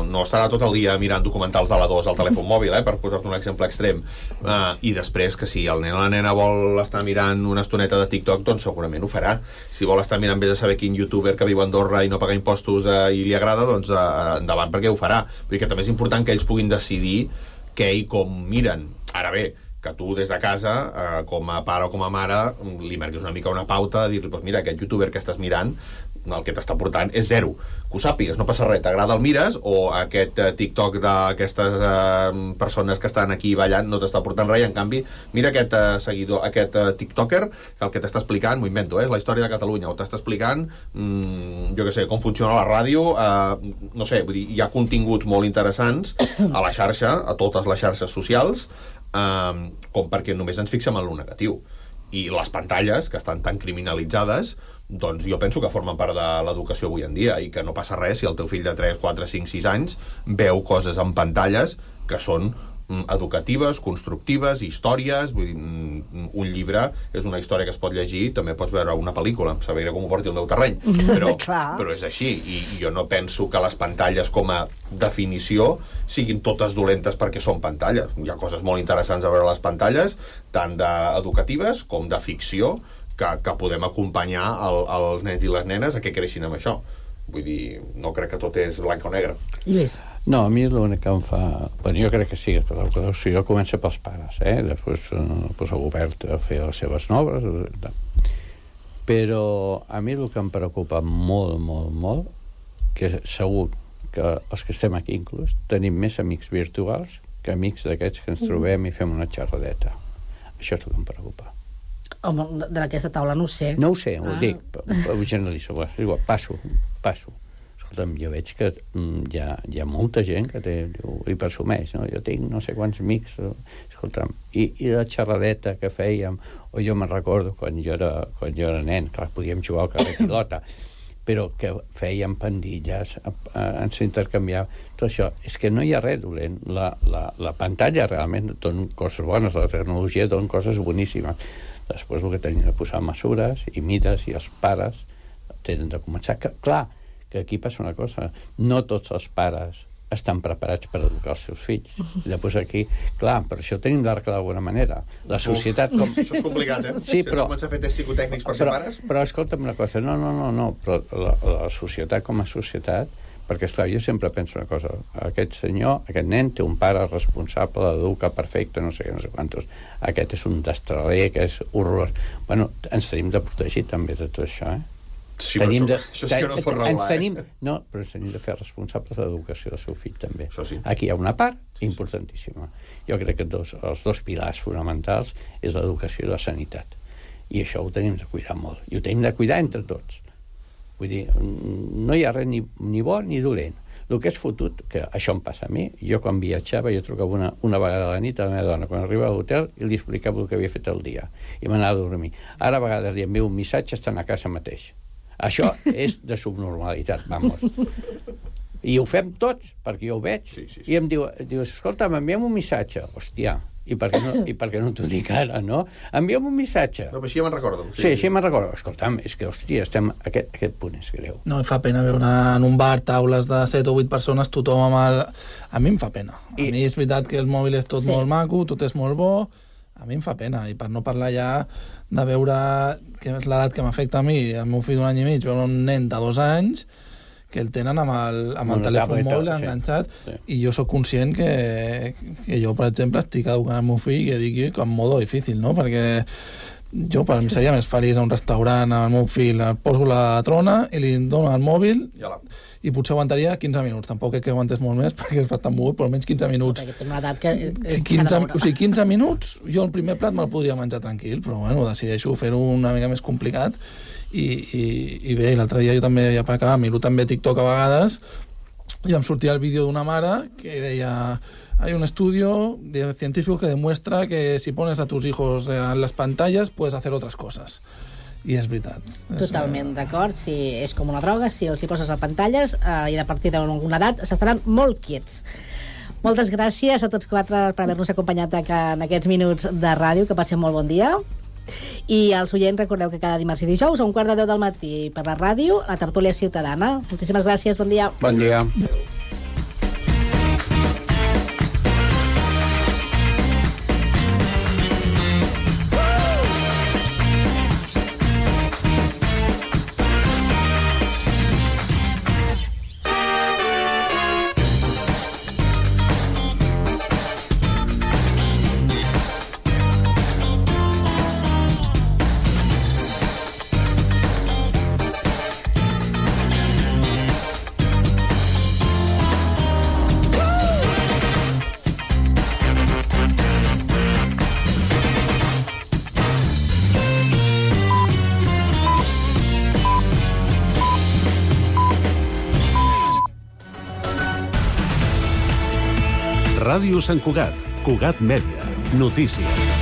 no estarà tot el dia mirant documentals de la dos al telèfon mòbil, eh, per posar-te un exemple extrem. Uh, I després, que si el nen o la nena vol estar mirant una estoneta de TikTok, doncs segurament ho farà. Si vol estar mirant, vés a saber quin youtuber que viu a Andorra i no paga impostos uh, i li agrada, doncs uh, endavant, perquè ho farà. Vull dir que també és important que ells puguin decidir què i com miren. Ara bé, que tu des de casa, eh, com a pare o com a mare, li marquis una mica una pauta, dir-li, pues mira, aquest youtuber que estàs mirant el que t'està portant és zero. Que ho sàpigues, no passa res, t'agrada el mires, o aquest uh, TikTok d'aquestes uh, persones que estan aquí ballant no t'està portant res, i en canvi, mira aquest uh, seguidor, aquest uh, TikToker, que el que t'està explicant, m'ho invento, eh, és la història de Catalunya, o t'està explicant, mm, jo què sé, com funciona la ràdio, uh, no sé, vull dir, hi ha continguts molt interessants a la xarxa, a totes les xarxes socials, uh, com perquè només ens fixem en lo negatiu. I les pantalles, que estan tan criminalitzades, doncs jo penso que formen part de l'educació avui en dia, i que no passa res si el teu fill de tres, quatre, cinc, sis anys veu coses en pantalles que són educatives, constructives, històries. Vull dir, un llibre és una història que es pot llegir, també pots veure una pel·lícula, saber com ho porti el meu terreny, però, però és així, i jo no penso que les pantalles com a definició siguin totes dolentes perquè són pantalles. Hi ha coses molt interessants a veure les pantalles, tant d'educatives com de ficció, que, que podem acompanyar el, els nens i les nenes a que creixin amb això. Vull dir, no crec que tot és blanc o negre. Lluís? No, a mi l'únic que em fa... Bueno, jo crec que sí, que l'educació comença pels pares, eh? Després pues, el govern a fer les seves noves. Però a mi el que em preocupa molt, molt, molt, que segur que els que estem aquí inclús tenim més amics virtuals que amics d'aquests que ens trobem i fem una xerradeta. Això és el que em preocupa. Home, d'aquesta taula no ho sé. No ho sé, ho ah. dic, ho generalitzo. Igual, passo, passo. Escolta'm, jo veig que mm, hi, ha, hi ha molta gent que té, diu, i presumeix, no? Jo tinc no sé quants amics, escolta'm, i, i la xerradeta que fèiem, o jo me'n recordo quan jo era, quan jo era nen, clar, podíem jugar al carrer pilota, però que fèiem pandilles, ens intercanviàvem, tot això. És que no hi ha res dolent. La, la, la pantalla realment dona coses bones, la tecnologia dona coses boníssimes. Després el que tenim de posar mesures i mides, i els pares tenen de començar. Que, clar, que aquí passa una cosa, no tots els pares estan preparats per educar els seus fills. I després aquí, clar, per això tenim d'arreglar d'alguna manera. La societat... Com... Això és complicat, eh? Sí, però... Si no comença a fer tests psicotècnics per ser pares... Però escolta'm una cosa, no, no, no, no, però la, la societat com a societat, perquè, esclar, jo sempre penso una cosa, aquest senyor, aquest nen té un pare responsable, l'educa perfecte, no sé què, no sé quantos, aquest és un destraler, que és horrorós. Bueno, ens tenim de protegir també de tot això, eh? Sí, tenim això, de, això sí que no es pot regular, tenim, eh? No, però ens tenim de fer responsables de l'educació del seu fill, també. Sí. Aquí hi ha una part importantíssima. Jo crec que dos, els dos pilars fonamentals és l'educació i la sanitat. I això ho tenim de cuidar molt. I ho tenim de cuidar entre tots. Vull dir, no hi ha res ni, ni bo ni dolent. El que és fotut, que això em passa a mi, jo quan viatjava, jo trucava una, una vegada a la nit a la meva dona, quan arribava a l'hotel, i li explicava el que havia fet el dia. I m'anava a dormir. Ara a vegades li envio un missatge estant a casa mateix. Això és de subnormalitat, vamos. I ho fem tots, perquè jo ho veig. Sí, sí, sí. I em diu, dius, escolta, m'enviem un missatge. Hòstia, i per què no, i per què no t'ho dic ara, no? Enviem un missatge. No, però així ja me'n recordo. Sí, sí, així me'n recordo. Escolta'm, és que, hòstia, estem... Aquest, aquest punt és greu. No, em fa pena veure en un bar taules de set o vuit persones, tothom amb el... A mi em fa pena. A I... mi és veritat que el mòbil és tot sí. molt maco, tot és molt bo, a mi em fa pena, i per no parlar ja de veure, que és l'edat que m'afecta a mi, el meu fill d'un any i mig, veure un nen de dos anys que el tenen amb el, amb el telèfon mòbil sí. enganxat, sí. i jo sóc conscient que, que jo, per exemple, estic educant el meu fill i dic que en modo difícil, no? Perquè jo, per mi, seria més feliç a un restaurant, al meu fill, el poso la trona i li dono el mòbil, ja la... i potser aguantaria quinze minuts. Tampoc crec que aguantés molt més, perquè és bastant mogut, però almenys quinze minuts. Perquè té una edat que... Si quinze, o sigui, quinze minuts, jo el primer plat me'l podria menjar tranquil, però bueno, decideixo fer-ho una mica més complicat. I, i, i bé, l'altre dia jo també, ja per acabar, miro també TikTok a vegades, i em sortia el vídeo d'una mare que deia: hay un estudio científico que demuestra que si pones a tus hijos en las pantallas puedes hacer otras cosas. I és veritat. Totalment d'acord. Si és com una droga, si els hi poses a pantalles eh, i a partir d'alguna edat s'estaran molt quiets. Moltes gràcies a tots quatre per haver-nos acompanyat en aquests minuts de ràdio. Que passem molt bon dia. I als oients, recordeu que cada dimarts i dijous a un quart de deu del matí per la ràdio, la tertúlia ciutadana. Moltíssimes gràcies, bon dia. Bon dia. Ràdio Sant Cugat, Cugat Mèdia, notícies.